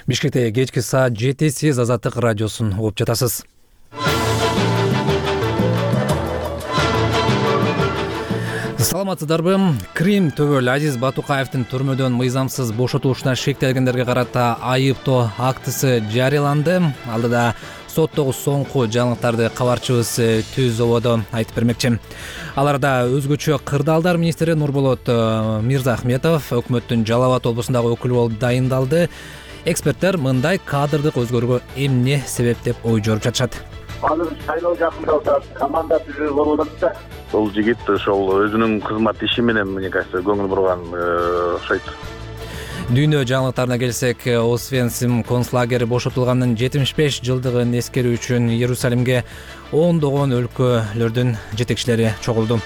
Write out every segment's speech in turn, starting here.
Бишкекте кечки саат 7 сиз Азаттык радиосун угуп жатасыз. Саламатсыздарбы? Крим төбөл Азиз Батукаевдин түрмөдөн мыйзамсыз бошотулушуна шектелгендерге карата айыптоо актысы жарыяланды. Алдыда соттогу соңку жаңылыктарды кабарчыбыз Түз Ободо айтып бермекчи. Аларда өзгөчө кырдаалдар министри Нурболот Мирзахметов өкмөттүн Жалал Абад облусундагы өкүлү болуп дайындалды. Эксперттер мындай кадрдык өзгөрүүгө эмне себеп деп ой жоруп жатышат. Азыр шайлоо жакындалса, команда түзүү болуп атат да. Ол жигит ошол өзүнүн кызмат иши менен, мне кажется, көңүл бурган окшойт. Дүйнө жаңылыктарына келсек, Освенцим концлагери бошотулганын 75 жылдыгын эскерүү үчүн Иерусалимге ондогон өлкөлөрдүн жетекчилери чогулду.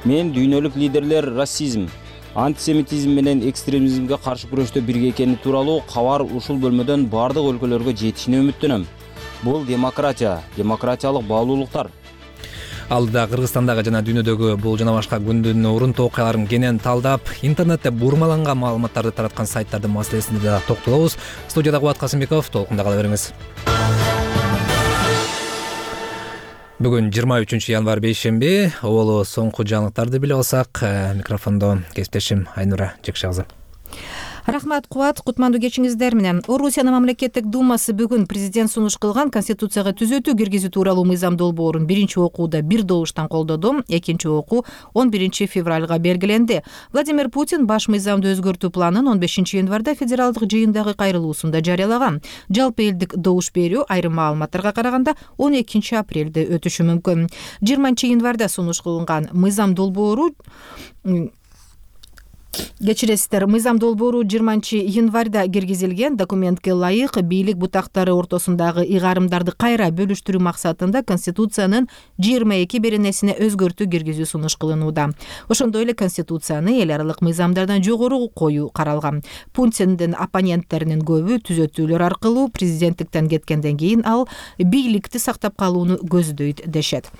Мен дүйнөлүк лидерлер расизм, антисемитизм менен экстремизмге каршы күрөштө бирге экени тууралуу кабар ушул бөлмөдөн бардык өлкөлөргө жетишине үмүттөнөм. Бул демократиялык баалуулуктар. Алдыда Кыргызстандагы жана дүйнөдөгү бул жана башка күндүн урунтуу окуяларын кенен талдап, интернетте бурмаланган маалыматтарды тараткан сайттардын маселесине да токтолобуз. Студияда Кубат Касымбеков, толкунда кала бериңиз. Бүгүн 23 январь бейшемби, олу соңку жаңылыктарды биле алсак, микрофондо кесиптешим Айнура Жекшагызы. Рахмат, Кубат, кутмандуу кечиңиздер менен. Орусиянын мамлекеттик думасы бүгүн президент сунуш кылган конституцияга түзөтүү киргизүү тууралуу мыйзам долбоорун биринчи окууда бир добуштан колдоду. Экинчи окуу 11 февралга белгиленди. Владимир Путин баш мыйзамды өзгөртүү планын 15 январда федералдык жыйындагы кайрылуусунда жарыялаган. Жалпы элдик добуш берүү айрым маалыматтарга караганда 12 апрелде өтүшү мүмкүн. 20 январда сунуш кылынган мыйзам долбоору мыйзам долбоору 20 январда киргизилген. Документке ылайык бийлик бутактары ортосундагы ыйгарымдарды кайра бөлүштүрүү максатында Конституциянын 22 беренесине өзгөртүү киргизүү сунуш кылынууда. Ошондой эле Конституцияны эл аралык мыйзамдардан жогору коюу каралган. Путиндин оппоненттеринин көбү түзөтүүлөр аркылуу президенттиктен кеткенден кийин ал бийликти сактап калууну көздөйт дешет.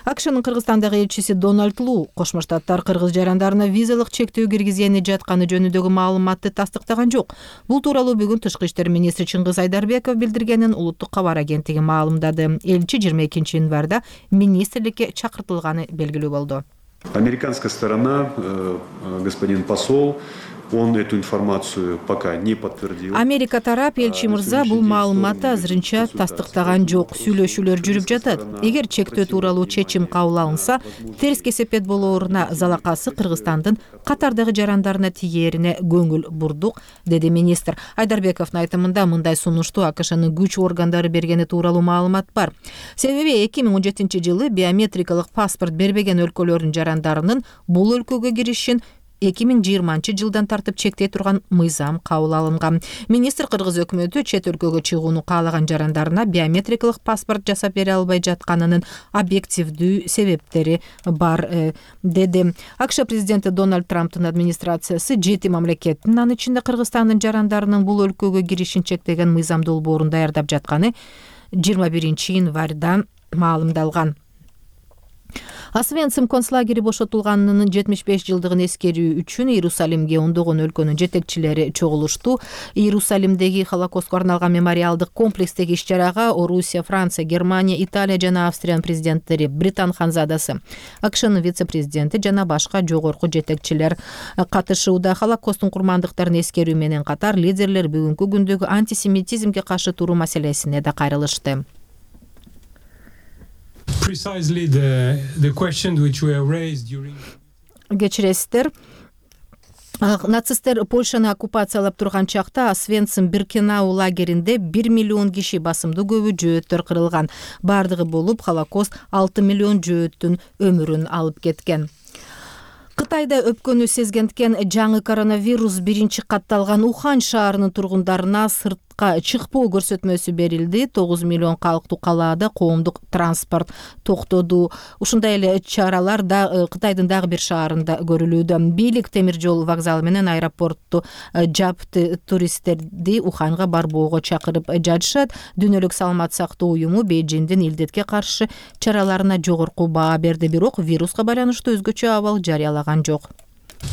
АКШнын Кыргызстандагы элчиси Дональд Лу Кошмо Штаттар кыргыз жарандарына визалык чектөө киргизген жатканы жөнүндөгү маалыматты тастыктаган жок. Бул тууралуу бүгүн Тышкы иштер министри Чыңгыз Айдарбеков билдиргенин улуттук кабар агенттиги маалымдады. Элчи 22 январда министрликке чакыртылганы белгилүү болду. Американская сторона, господин посол, он эту информацию пока не подтвердил. Америка тарап элчи мырза бул маалыматты азырынча тастыктаган жок. Сүйлөшүүлөр жүрүп жатат. Эгер чектөө тууралуу чечим кабыл алынса, терс кесепет болооруна залакасы Кыргызстандын катардагы жарандарына тигээрине көңүл бурдук, деди министр. Айдарбековдун айтымында мындай сунушту АКШнын күч органдары бергени тууралуу маалымат бар. Себеби 2017 жылы биометрикалык паспорт бербеген өлкөлөрдүн жарандарынын бул өлкөгө киришин 2020 жылдан тартып чектей турган мыйзам кабыл алынган. Министр кыргыз өкмөтү чет өлкөгө чыгууну каалаган жарандарына биометрикалык паспорт жасап бере албай жатканынын объективдүү себептери бар, деди. АКШ президенти Дональд Трамптын администрациясы 7 мамлекеттин, анын ичинде Кыргызстандын жарандарынын бул өлкөгө киришин чектеген мыйзам долбоорун даярдап жатканы 21 январда маалымдалган. Освенцим концлагери бошотулганынын 75 жылдыгын эскерүү үчүн Иерусалимге ондогон өлкөнүн жетекчилери чогулушту. Иерусалимдеги Холокостко арналган мемориалдык комплекстеги иш-чарага Орусия, Франция, Германия, Италия жана Австриянын президенттери, Британ ханзадасы, АКШнын вице-президенти жана башка жогорку жетекчилер катышууда. Холокосттун курмандыктарын эскерүү менен катар лидерлер бүгүнкү күндөгү антисемитизмге каршы туруу маселесине да кайрылышты. Кечиресиздер, нацисттер Польшаны оккупациялап турган чакта Освенцим Биркенау лагеринде 1 миллион киши, басымдуу көбү жөөттөр кырылган. Бардыгы болуп Холокост 6 миллион жөөттүн өмүрүн алып кеткен. Кытайда өпкөнү сезгендкен жаңы коронавирус биринчи катталган Ухань шаарынын тургундарына сыртка чыкпоо көрсөтмөсү берилди. 9 миллион калктуу калаада коомдук транспорт токтоду. Ушундай эле чаралар да Кытайдын дагы бир шаарында көрүлүүдө. Бийлик темир жол вокзалы менен аэропортту жапты, туристтерди Уханьга барбоого чакырып жатышат. Дүйнөлүк саламат сактоо уюму Бейжиңдин илдетке каршы чараларына жогорку баа берди, бирок вируска байланыштуу өзгөчө абал жарыялаган жок.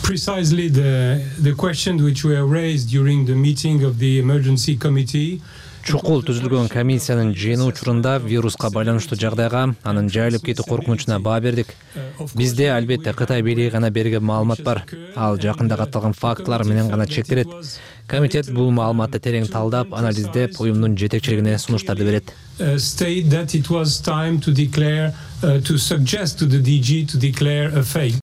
Precisely the questions which were raised during the meeting of the emergency committee. Чукул түзүлгөн комиссиянын жыйыны учурунда вируска байланыштуу жагдайга, анын жайылып кетүү коркунучуна баа бердик. Бизде албетте Кытай бийлиги гана берген маалымат бар. Ал жакында катталган фактылар менен гана чектелет. Комитет бул маалыматты терең талдап, анализдеп, уюмдун жетекчилигине сунуштарды берет. State that it was time to declare, to suggest to the DG to declare a fake.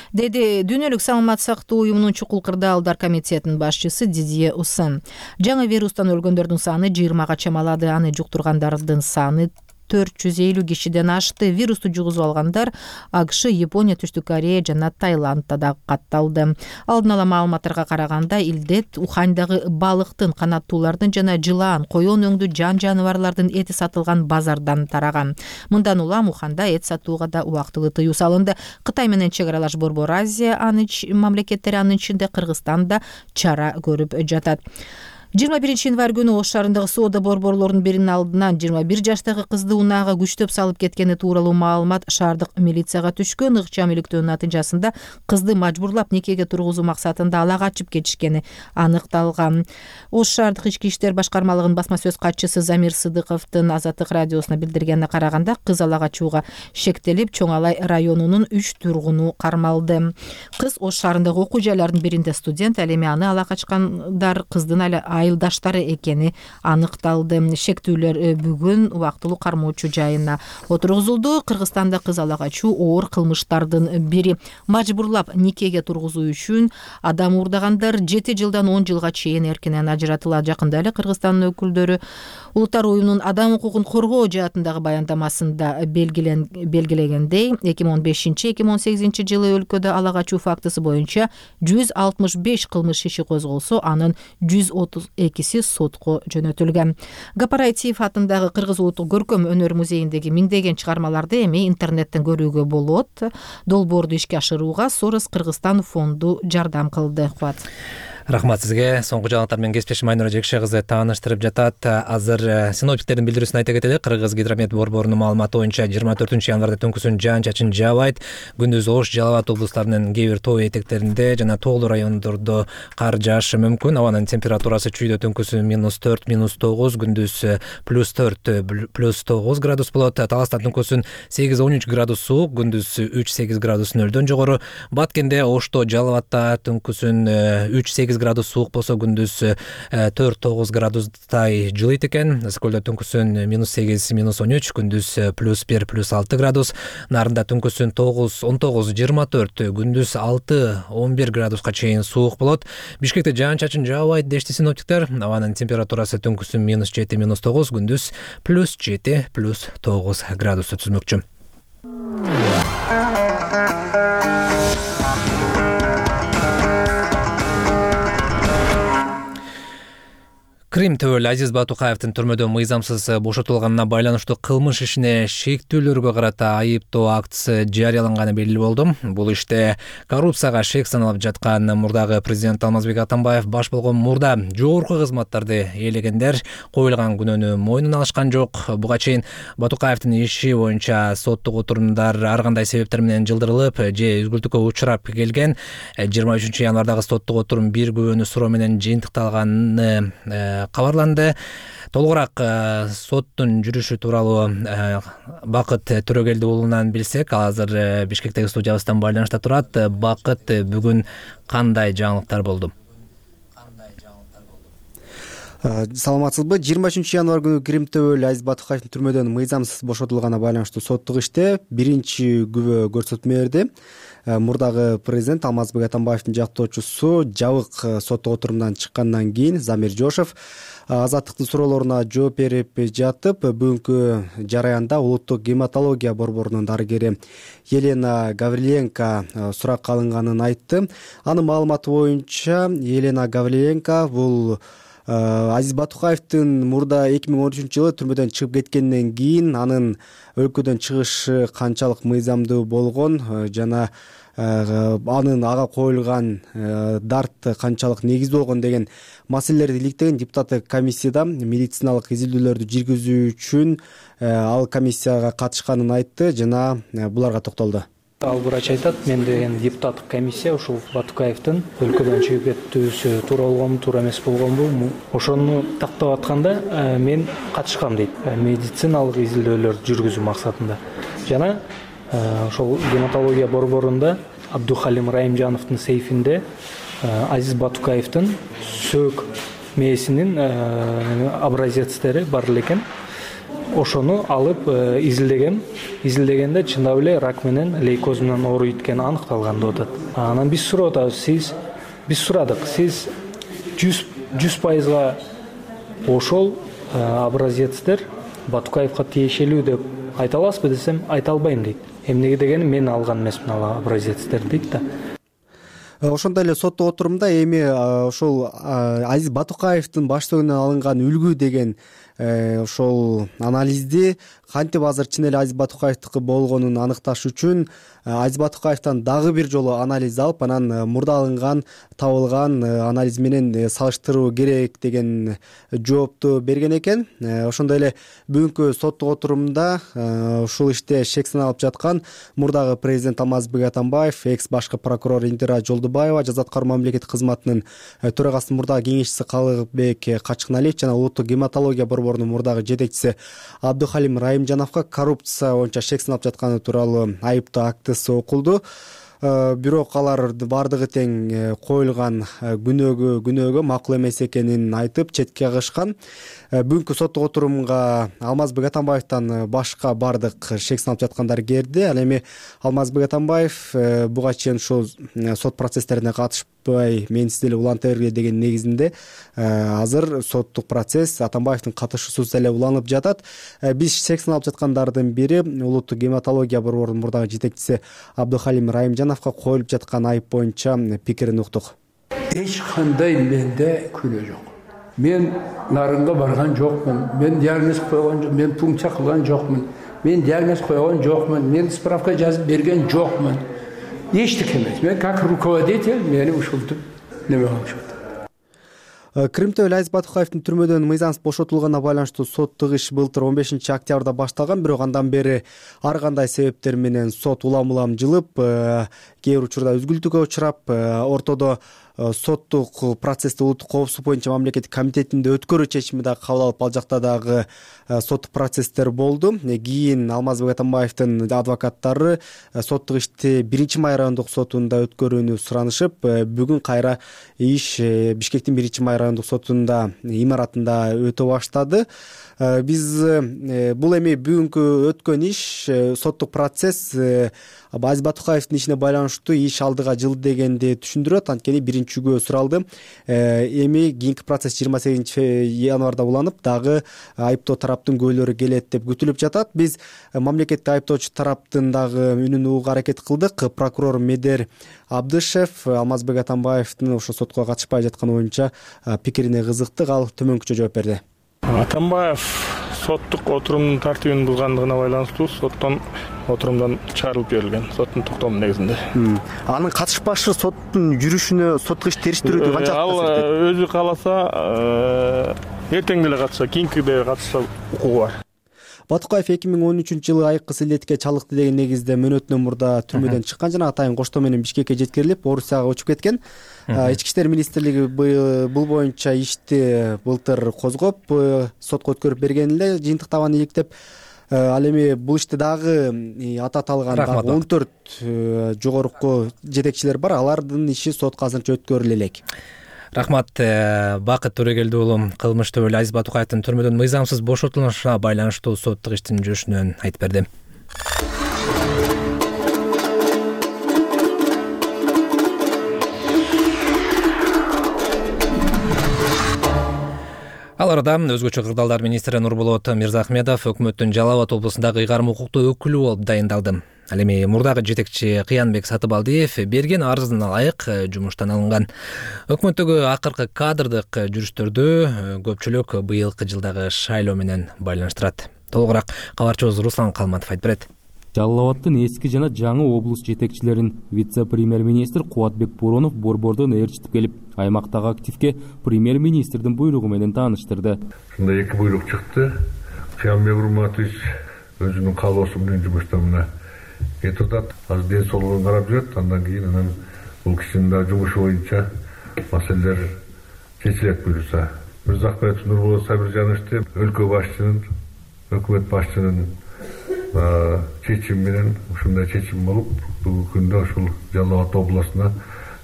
Деди Дүйнөлүк саламат сактоо уюмунун чукул кырдаалдар комитетинин башчысы Дидье Уссен. Жаңы вирустан өлгөндөрдүн саны 20га чамалады, аны жуктургандардын саны 450 кишиден ашты. Вирусту жугузуп алгандар АКШ, Япония, Түштүк Корея жана Таиландда да катталды. Алдын ала маалыматтарга караганда, илдет Ухандагы балыктын, канаттуулардын жана жылаан, коён өңдүү жан жаныбарлардын эти сатылган базардан тараган. Мындан улам Уханда эт сатууга да убактылуу тыюу салынды. Кытай менен чек аралаш Борбор Азия мамлекеттери, анын ичинде Кыргызстан да чара көрүп жатат. 21 январь күнү Ош шаарындагы соода борборлорунун биринин алдынан 21 жаштагы кызды унаага күчтөп салып кеткени тууралуу маалымат шаардык милицияга түшкөн. Ыкчам иликтөөнүн натыйжасында кызды мажбурлап никеге тургузуу максатында ала качып кетишкени аныкталган. Ош шаардык ички иштер башкармалыгынын басма сөз катчысы Замир Сыдыковдун Азаттык радиосуна билдиргенине караганда, кыз ала качууга шектелип, Чоң Алай районунун 3 тургуну кармалды. Кыз Ош шаарындагы окуу жайларынын биринде студент, ал эми аны ала качкандар кыздын айылдаштары экени аныкталды. Шектүүлөр бүгүн убактылуу кармоочу жайына отургузулду. Кыргызстанда кыз ала качуу оор кылмыштардын бири. Мажбурлап никеге тургузуу үчүн адам уурдагандар 7 жылдан 10 жылга чейин эркинен ажыратылат. Жакында эле Кыргызстандын өкүлдөрү Улуттар уюмунун адам укугун коргоо жаатындагы баяндамасында белгилегендей, 2015-2018 жылы өлкөдө ала качуу фактысы боюнча 165 кылмыш иши козголсо, анын 132си сотко жөнөтүлгөн. Гапарайтиев атындагы Кыргыз улуттук көркөм өнөр музейиндеги миңдеген чыгармаларды эми интернеттен көрүүгө болот. Долбоорду ишке ашырууга Сорос Кыргызстан фонду жардам кылды. Кубат. Рахмат сизге. Соңку жаңылыктар менен кесиптешим Айнура Жекше кызы тааныштырып жатат. Азыр синоптиктердин билдирүүсүн айта кетели. Кыргыз гидромет борборунун маалыматы боюнча 24 январда түнкүсүн жаан-чачын жаабайт. Күндүз Ош, Жалал Абад облустарынын кээ бир тоо этектеринде жана тоолуу райондордо кар жаашы мүмкүн. Абанын температурасы чүйдө түнкүсүн -4, -9, күндүз +4, +9 градус болот. Таласта түнкүсүн 8-13 градус суук, күндүз 3-8 градус нөлдөн жогору. Баткенде, Ошто, Жалал Абадта түнкүсүн 3-8 градус суук болсо, күндүз 4-9 градустай жылыйт экен. Скөлдө түнкүсүн -8, -13, күндүз +1, +6 градус. Нарында түнкүсүн 9-19, 24, күндүз 6-11 градуска чейин суук болот. Бишкекте жаан-чачын жаабайт дешти синоптиктер. Абанын температурасы түнкүсүн -7, -9, күндүз +7, +9 градусту түзмөкчү. Крим төбөлү Азиз Батукаевдин түрмөдөн мыйзамсыз бошотулганына байланыштуу кылмыш ишине шектүүлөргө карата айыптоо актысы жарыяланганы белгилүү болду. Бул иште коррупцияга шек саналып жаткан мурдагы президент Алмазбек Атамбаев баш болгон мурда жогорку кызматтарды ээлегендер коюлган күнөөнү мойнуна алышкан жок. Буга чейин Батукаевдин иши боюнча соттук отурумдар ар кандай себептер менен жылдырылып же үзгүлтүккө учурап келген. 23 январдагы соттук отурум бир күбөнү суроо менен жыйынтыкталганы кабарланды. Толугураак соттун жүрүшү тууралуу Бакыт Төрөгелди уулунан билсек, ал азыр Бишкектеги студиябыздан байланышта турат. Бакыт, бүгүн кандай жаңылыктар болду? Саламатсызбы? 23 январь күнү Крим төбөлү Азиз Батукаевдин түрмөдөн мыйзамсыз бошотулганына байланыштуу соттук иште биринчи күбө көрсөтмө берди. Мурдагы президент Алмазбек Атамбаевдин жактоочусу жабык соттук отурумдан чыккандан кийин Замир Жошев азаттыктын суроолоруна жооп берип жатып, бүгүнкү жараянда улуттук гематология борборунун дарыгери Елена Гавриленко суракка алынганын айтты. Анын маалыматы боюнча Елена Гавриленко бул Азиз Батукаевдин мурда 2013 жылы түрмөдөн чыгып кеткенден кийин анын өлкөдөн чыгышы канчалык мыйзамдуу болгон жана анын ага коюлган дарт канчалык негиздүү болгон деген маселелерди иликтеген депутаттык комиссияда медициналык изилдөөлөрдү жүргүзүү үчүн ал комиссияга катышканын айтты жана буларга токтолду. Ал врач айтат, мен деген депутаттык комиссия ушул Батукаевдин өлкөдөн чыгып кетүүсү туура болгонбу, туура эмес болгонбу, ошону тактап атканда мен катышкам дейт. Медициналык изилдөөлөр жүргүзүү максатында. Жана ошол гематология борборунда Абдухалим Райымжановдун сейфинде Азиз Батукаевдин сөөк мээсинин образецтери бар экен. Ошону алып изилдегенде чындап эле рак менен лейкоз менен ооруйт экени аныкталган деп атат. Анан биз сурап атабыз, биз сурадык, сиз 100% ошол образецтер Батукаевга тиешелүү деп айта аласызбы десем, айта албайм дейт. Эмнеге дегени мен алган эмесмин ал образецтерди дейт да. Ошондой эле соттук отурумда эми ошол Азиз Батукаевдин баштыгынан алынган үлгү деген ошол анализди кантип азыр чын эле Азиз Батукаевдики болгонун анықташ үчүн Азиз Батукаевден дагы бир жолу анализ алып, анан мурда алынган табылган анализ менен салыштыруу керек деген жоопту берген экен. Ошондой эле бүгүнкү соттук отурумда ушул иште шек саналып жаткан мурдагы президент Алмазбек Атамбаев, экс башкы прокурор Индира Жолдубаева, жаза аткаруу мамлекеттик кызматынын төрагасынын мурдагы кеңешчиси Калыбек Качкыналиев жана улуттук гематология борборунун мурдагы жетекчиси Абдухалим Райымжановго коррупция боюнча шек саналып жатканы тууралуу айыптоо актысы окулду. Бирок алар бардыгы тең коюлган күнөөгө макул эмес экенин айтып четке кагышкан. Бүгүнкү соттук отурумга Алмазбек Атамбаевден башка бардык шек саналып жаткандар келди. Ал эми Алмазбек Атамбаев буга чейин ушул сот процесстерине катышпай, менсиз эле уланта бергиле деген негизинде азыр соттук процесс Атамбаевдин катышуусуз эле уланып жатат. Биз шек саналып жаткандардын бири улуттук гематология борборунун мурдагы жетекчиси Абдухалим Райымжановго коюлуп жаткан айып боюнча пикирин уктук. Эч кандай менде күнөө жок. Мен нарынга барган жокмун. Мен диагноз койгон жокмун. Мен пункция кылган жокмун. Мен диагноз койгон жокмун. Мен справка жазып берген жокмун. Эчтеке эмес. Мен как руководитель мени ушинтип неме кылышат. Крымда Азиз Батукаевдин түрмөдөн мыйзамсыз бошотулганына байланыштуу соттук иш былтыр 15 октябрда башталган, бирок андан бери ар кандай себептер менен сот улам жылып, кээ бир учурда үзгүлтүүгө учурап, ортодо соттук процессти улуттук коопсуздук боюнча мамлекеттик комитетинде өткөрүү чечими да кабыл алып, ал жакта дагы соттук процесстер болду. Кийин Алмазбек Атамбаевдин адвокаттары соттук ишти 1-Май райондук сотунда өткөрүүнү суранышып, бүгүн кайра иш Бишкектин 1-Май райондук сотунда имаратында өтө баштады. Биз бул эми бүгүнкү өткөн иш, соттук процесс Азиз Батукаевдин ишине байланыштуу иш алдыга жылды дегенди түшүндүрөт. Анткени биринчигөө суралды. Эми кийинки процесс 28 январда уланып, дагы айыптоо тараптын күбөлөрү келет деп күтүлүп жатат. Биз мамлекеттик айыптоочу тараптын дагы үнүн угууга аракет кылдык. Прокурор Медер Абдышев Алмазбек Атамбаевдин ошо сотко катышпай жатканы боюнча пикирине кызыктык. Ал төмөнкүчө жооп берди. Атамбаев соттук отурумдун тартибин булгандыгына байланыштуу соттон отурумдан чыгарылып жиберилген, соттун токтому негизинде. Анын катышпашы соттун жүрүшүнө, соттук ишти териштирүүдө канчалык таасир этет? Ал өзү кааласа эртең деле катышса, кийинкиде катышса укугу бар. Батукаев 2013-жылы айыккы силетке чалыкты деген негизде мөөнөтүнөн мурда түрмөдөн чыккан жана атайын коштоо менен Бишкекке жеткирилип, Орусияга учуп кеткен. Ички иштер министрлиги бул боюнча ишти былтыр козгоп, сотко өткөрүп берген эле, жыйынтык табаны иликтеп. Ал эми бул ишти дагы аты аталган 14 жогорку жетекчилер бар. Алардын иши сотко азырынча өткөрүлө элек. Рахмат, Бакыт Төрөгелди уулу кылмышты өлө Азиз Батукаевдин түрмөдөн мыйзамсыз бошотулушуна байланыштуу соттук иштин жүрүшүнөн айтып берди. Ал арада өзгөчө кырдаалдар министри Нурболот Мирзахмедов өкмөттүн Жалал Абад облусундагы ыйгарым укуктуу өкүлү болуп дайындалды. Ал эми мурдагы жетекчи Кыянбек Сатыбалдиев берген арызына ылайык жумуштан алынган. Өкмөттөгү акыркы кадрдык жүрүштөрдү көпчүлүк быйылкы жылдагы шайлоо менен байланыштырат. Толугураак кабарчыбыз Руслан Калматов айтып берет. Жалал Абадтын эски жана жаңы облус жетекчилерин вице-премьер-министр Кубатбек Боронов борбордон ээрчитип келип, аймактагы активге премьер-министрдин буйругу менен тааныштырды. Ушундай эки буйрук чыкты. Кыянбек Урматович өзүнүн каалоосу менен жумуштан кетип атат. азыр ден соолугун карап жүрөт. Андан кийин анан бул кишинин да жумушу боюнча маселелер чечилет буюрса. Мырзахметов Нурболот Сабиржановичти өлкө башчынын, өкмөт башчынын чечими менен ушундай чечим болуп, бүгүнкү күндө ушул Жалал Абад областына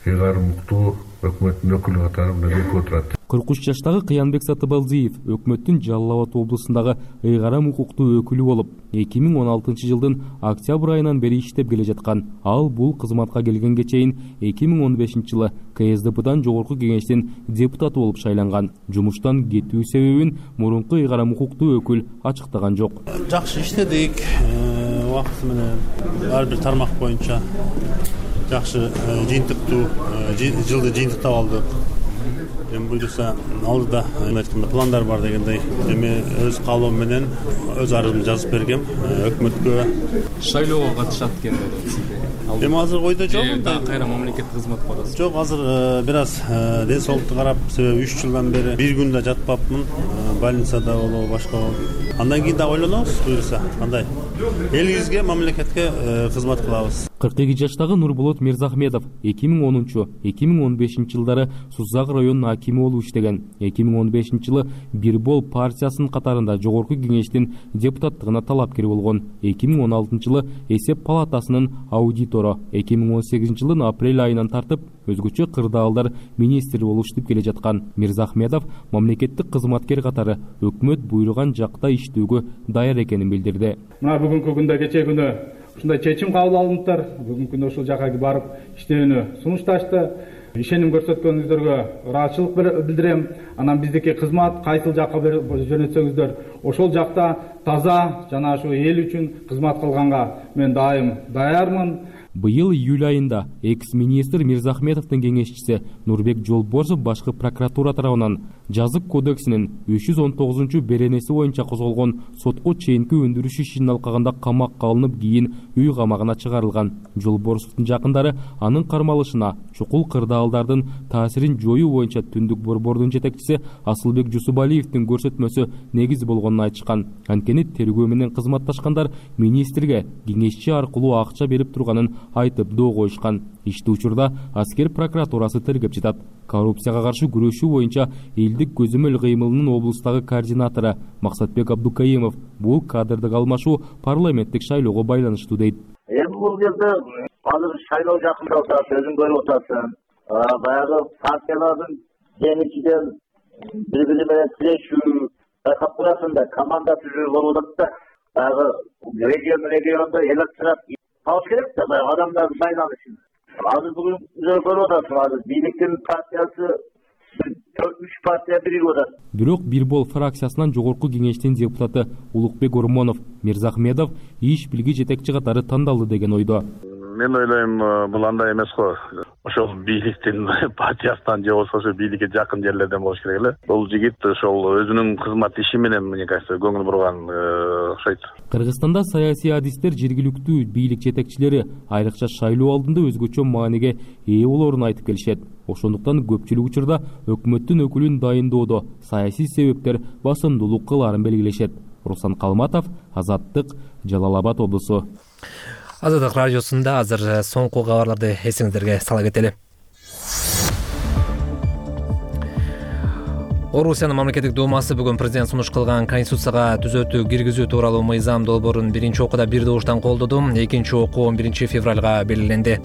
ыйгарым уктуу өкмөттүн өкүлү катары келип отурат. 43 жаштагы Кыянбек Сатыбалдиев өкмөттүн Жалал Абад облусундагы ыйгарым укуктуу өкүлү болуп, 2016 жылдын октябрь айынан бери иштеп келе жаткан. Ал бул кызматка келгенге чейин 2015 жылы КСДПдан жогорку кеңештин депутаты болуп шайланган. Жумуштан кетүү себебин мурунку ыйгарым укуктуу өкүл ачыктаган жок. Жакшы иштедик, убакыты менен ар бир тармак боюнча жакшы жыйынтыктуу жылды жыйынтыктап алдык. Эми буюрса алдыда пландар бар дегендей. Эми өз каалоом менен өз арызымды жазып бергем өкмөткө. Шайлоого катышат экен деди. Эми азыр ойдо жок. Кайра мамлекеттик кызматка барасыз. Жок, азыр бир аз ден соолукту карап, себеби 3 жылдан бери бир күн да жатпапмын. Больницада болобу, башка болобу. Андан кийин да ойлонобуз, буюрса кандай элибизге, мамлекетке кызмат кылабыз. 42 жаштагы Нурболот Мирзахметов 2010-2015 жылдары Сузак районунун акими болуп иштеген. 2015 жылы Бирбол партиясынын катарында жогорку кеңештин депутаттыгына талапкер болгон. 2016 жылы эсеп палатасынын аудитору. 2018 жылдын апрель айынан тартып өзгөчө кырдаалдар министри болуп иштеп келе жаткан Мирзахметов мамлекеттик кызматкер катары өкмөт буйруган жакта иштөөгө даяр экенин билдирди. Мына бүгүнкү күндө кечээ күнү ушундай чечим кабыл алыныптыр. Бүгүнкү күндө ушул жака барып иштөөнү сунушташты. Ишеним көрсөткөнүңүздөргө ыраазычылык билдирем. Анан биздики кызмат кайсыл жакка жөнөтсөңүздөр ошол жакта таза жана ушу эл үчүн кызмат кылганга мен дайым даярмын. Быйыл июль айында экс-министр Мирзахметовдун кеңешчиси Нурбек Жолборсов башкы прокуратура тарабынан жазык кодексинин 319 беренеси боюнча козголгон сотко чейинки өндүрүш ишин алкаганда камакка алынып, кийин үй камагына чыгарылган. Жолборсовдун жакындары анын кармалышына чукул кырдаалдардын таасирин жоюу боюнча Түндүк борбордун жетекчиси Асылбек Жусубалиевдин көрсөтмөсү негиз болгонун айтышкан. Анткени тергөө менен кызматташкандар министрге кеңешчи аркылуу акча берип турганын айтып доо коюшкан. Ишти учурда аскер прокуратурасы тергеп жатат. Коррупцияга каршы күрөшүү боюнча элдик көзөмөл кыймылынын облустагы координатору Максатбек Абдукаимов бул кадрдык алмашуу парламенттик шайлоого байланыштуу дейт. Эми бул жерде азыр шайлоо жакындап атат, өзүң көрүп атасың. Баягы партиялардын жеңичиден бири-бири менен тирешүү, байкап турасың да, команда түзүү болуп атат да. Баягы региондо электорат табыш керек да, баягы адамдар сайланышын. Азыр бүгүн көрүп атасың, азыр бийликтин партиясы 4-3 партия биригип атат. Бирок Бирбол фракциясынан жогорку кеңештин депутаты Улукбек Ормонов Мирзахметов иш билги жетекчи катары тандалды деген ойдо. Мен ойлойм, бул андай эмес го. Ошол бийликтин партиясынан же болбосо бийликке жакын жерлерден болуш керек эле. Бул жигит ошол өзүнүн кызмат иши менен, мне кажется, көңүл бурган окшойт. Кыргызстанда саясий адистер жергиликтүү бийлик жетекчилери айрыкча шайлоо алдында өзгөчө мааниге ээ болоорун айтып келишет. Ошондуктан көпчүлүк учурда өкмөттүн өкүлүн дайындоодо саясий себептер басымдуулук кылаарын белгилешет. Руслан Калматов, Азаттык, Жалал Абад облусу. Азаттык радиосунда азыр соңку кабарларды эсиңиздерге сала кетели. Орусиянын мамлекеттик думасы бүгүн президент сунуш кылган конституцияга түзөтүү киргизүү тууралуу мыйзам долбоорун биринчи окууда бир добуштан колдоду. Экинчи окуу 11 февралга белгиленди.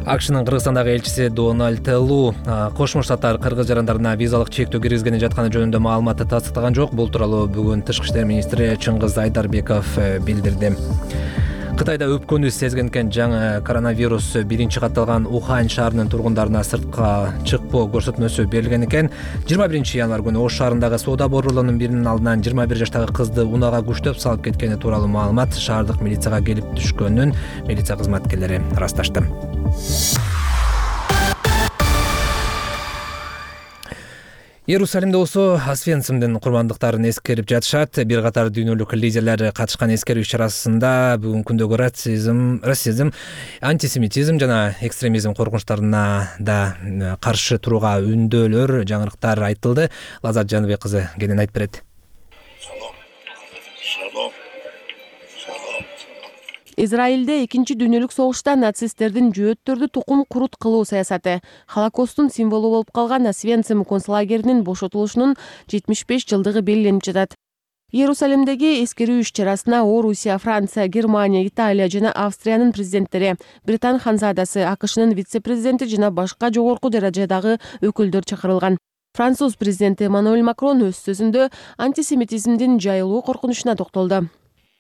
АКШнын Кыргызстандагы элчиси Дональд Лу Кошмо Штаттар кыргыз жарандарына визалык чектөө киргизгени жатканы жөнүндө маалыматты тастыктаган жок. Бул тууралуу бүгүн Тышкы иштер министри Чыңгыз Айдарбеков билдирди. Кытайда өпкөнү сезген экен жаңы коронавирус биринчи катталган Ухань шаарынын тургундарына сыртка чыкпоо көрсөтмөсү берилген экен. 21 январь күнү Ош шаарындагы соода борборлорунун биринин алдынан 21 жаштагы кызды унаага күчтөп салып кеткени тууралуу маалымат шаардык милицияга келип түшкөнүн милиция кызматкерлери ырасташты. Иерусалимде болсо Освенцимдин курмандыктарын эскерип жатышат. Бир катар дүйнөлүк лидерлер катышкан эскерүү иш-чарасында бүгүнкү күндөгү расизм, антисемитизм жана экстремизм коркунучтарына да каршы турууга үндөөлөр, жаңырыктар айтылды. Лазат Жаныбек кызы кенен айтып берет. Израилде экинчи дүйнөлүк согушта нацисттердин жөөттөрдү тукум курут кылуу саясаты, Холокосттун символу болуп калган Освенцим концлагеринин бошотулушунун 75 жылдыгы белгиленип жатат. Иерусалимдеги эскерүү иш-чарасына Орусия, Франция, Германия, Италия жана Австриянын президенттери, Британ ханзадасы, АКШнын вице-президенти жана башка жогорку даражадагы өкүлдөр чакырылган. Француз президенти Эммануэль Макрон өз сөзүндө антисемитизмдин жайылуу коркунучуна токтолду.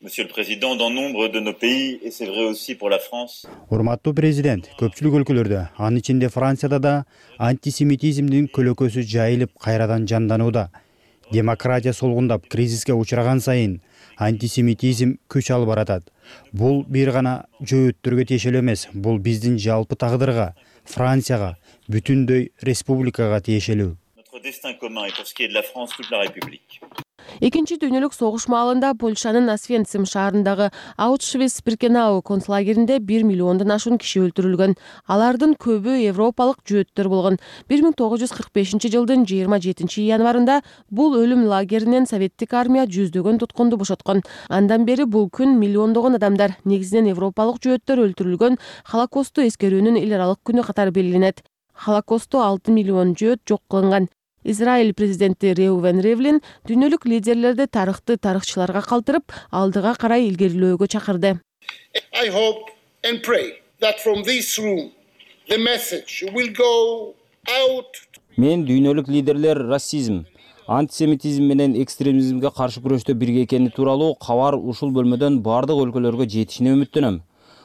Monsieur le Président, dans nombre de nos pays, et c'est vrai aussi pour la France. Урматтуу президент, көпчүлүк өлкөлөрдө, анын ичинде Францияда да антисемитизмдин көлөкөсү жайылып кайрадан жанданууда. Демократия солгундап кризиске учураган сайын антисемитизм күч алып баратат. Бул бир гана жөөттөргө тиешелүү эмес, бул биздин жалпы тагдырга, Францияга, бүтүндөй республикага тиешелүү. Notre destin commun et pour ce qui est de la France, toute la République. Экинчи дүйнөлүк согуш маалында Польшанын Освенцим шаарындагы Аушвиц-Биркенау концлагеринде 1 миллиондон ашуун киши өлтүрүлгөн. Алардын көбү европалык жөөттөр болгон. 1945 жылдын 27 январында бул өлүм лагеринен советтик армия жүздөгөн туткунду бошоткон. Андан бери бул күн миллиондогон адамдар, негизинен европалык жөөттөр өлтүрүлгөн Холокостту эскерүүнүн эл аралык күнү катары белгиленет. Холокостто 6 миллион жөөт жок кылынган. Израиль президенти Реувен Ривлин дүйнөлүк лидерлерди тарыхчыларга калтырып, алдыга карай илгерилөөгө чакырды. I hope and pray that from this room the message will go out. Мен дүйнөлүк лидерлер расизм, антисемитизм менен экстремизмге каршы күрөштө бирге экени тууралуу кабар ушул бөлмөдөн бардык өлкөлөргө жетишине үмүттөнөм.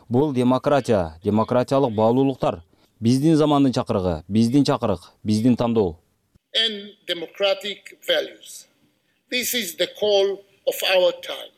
Бул демократия, демократиялык баалуулуктар, биздин замандын чакырыгы, биздин чакырык, биздин тандоо. And democratic values. This is the call of our time.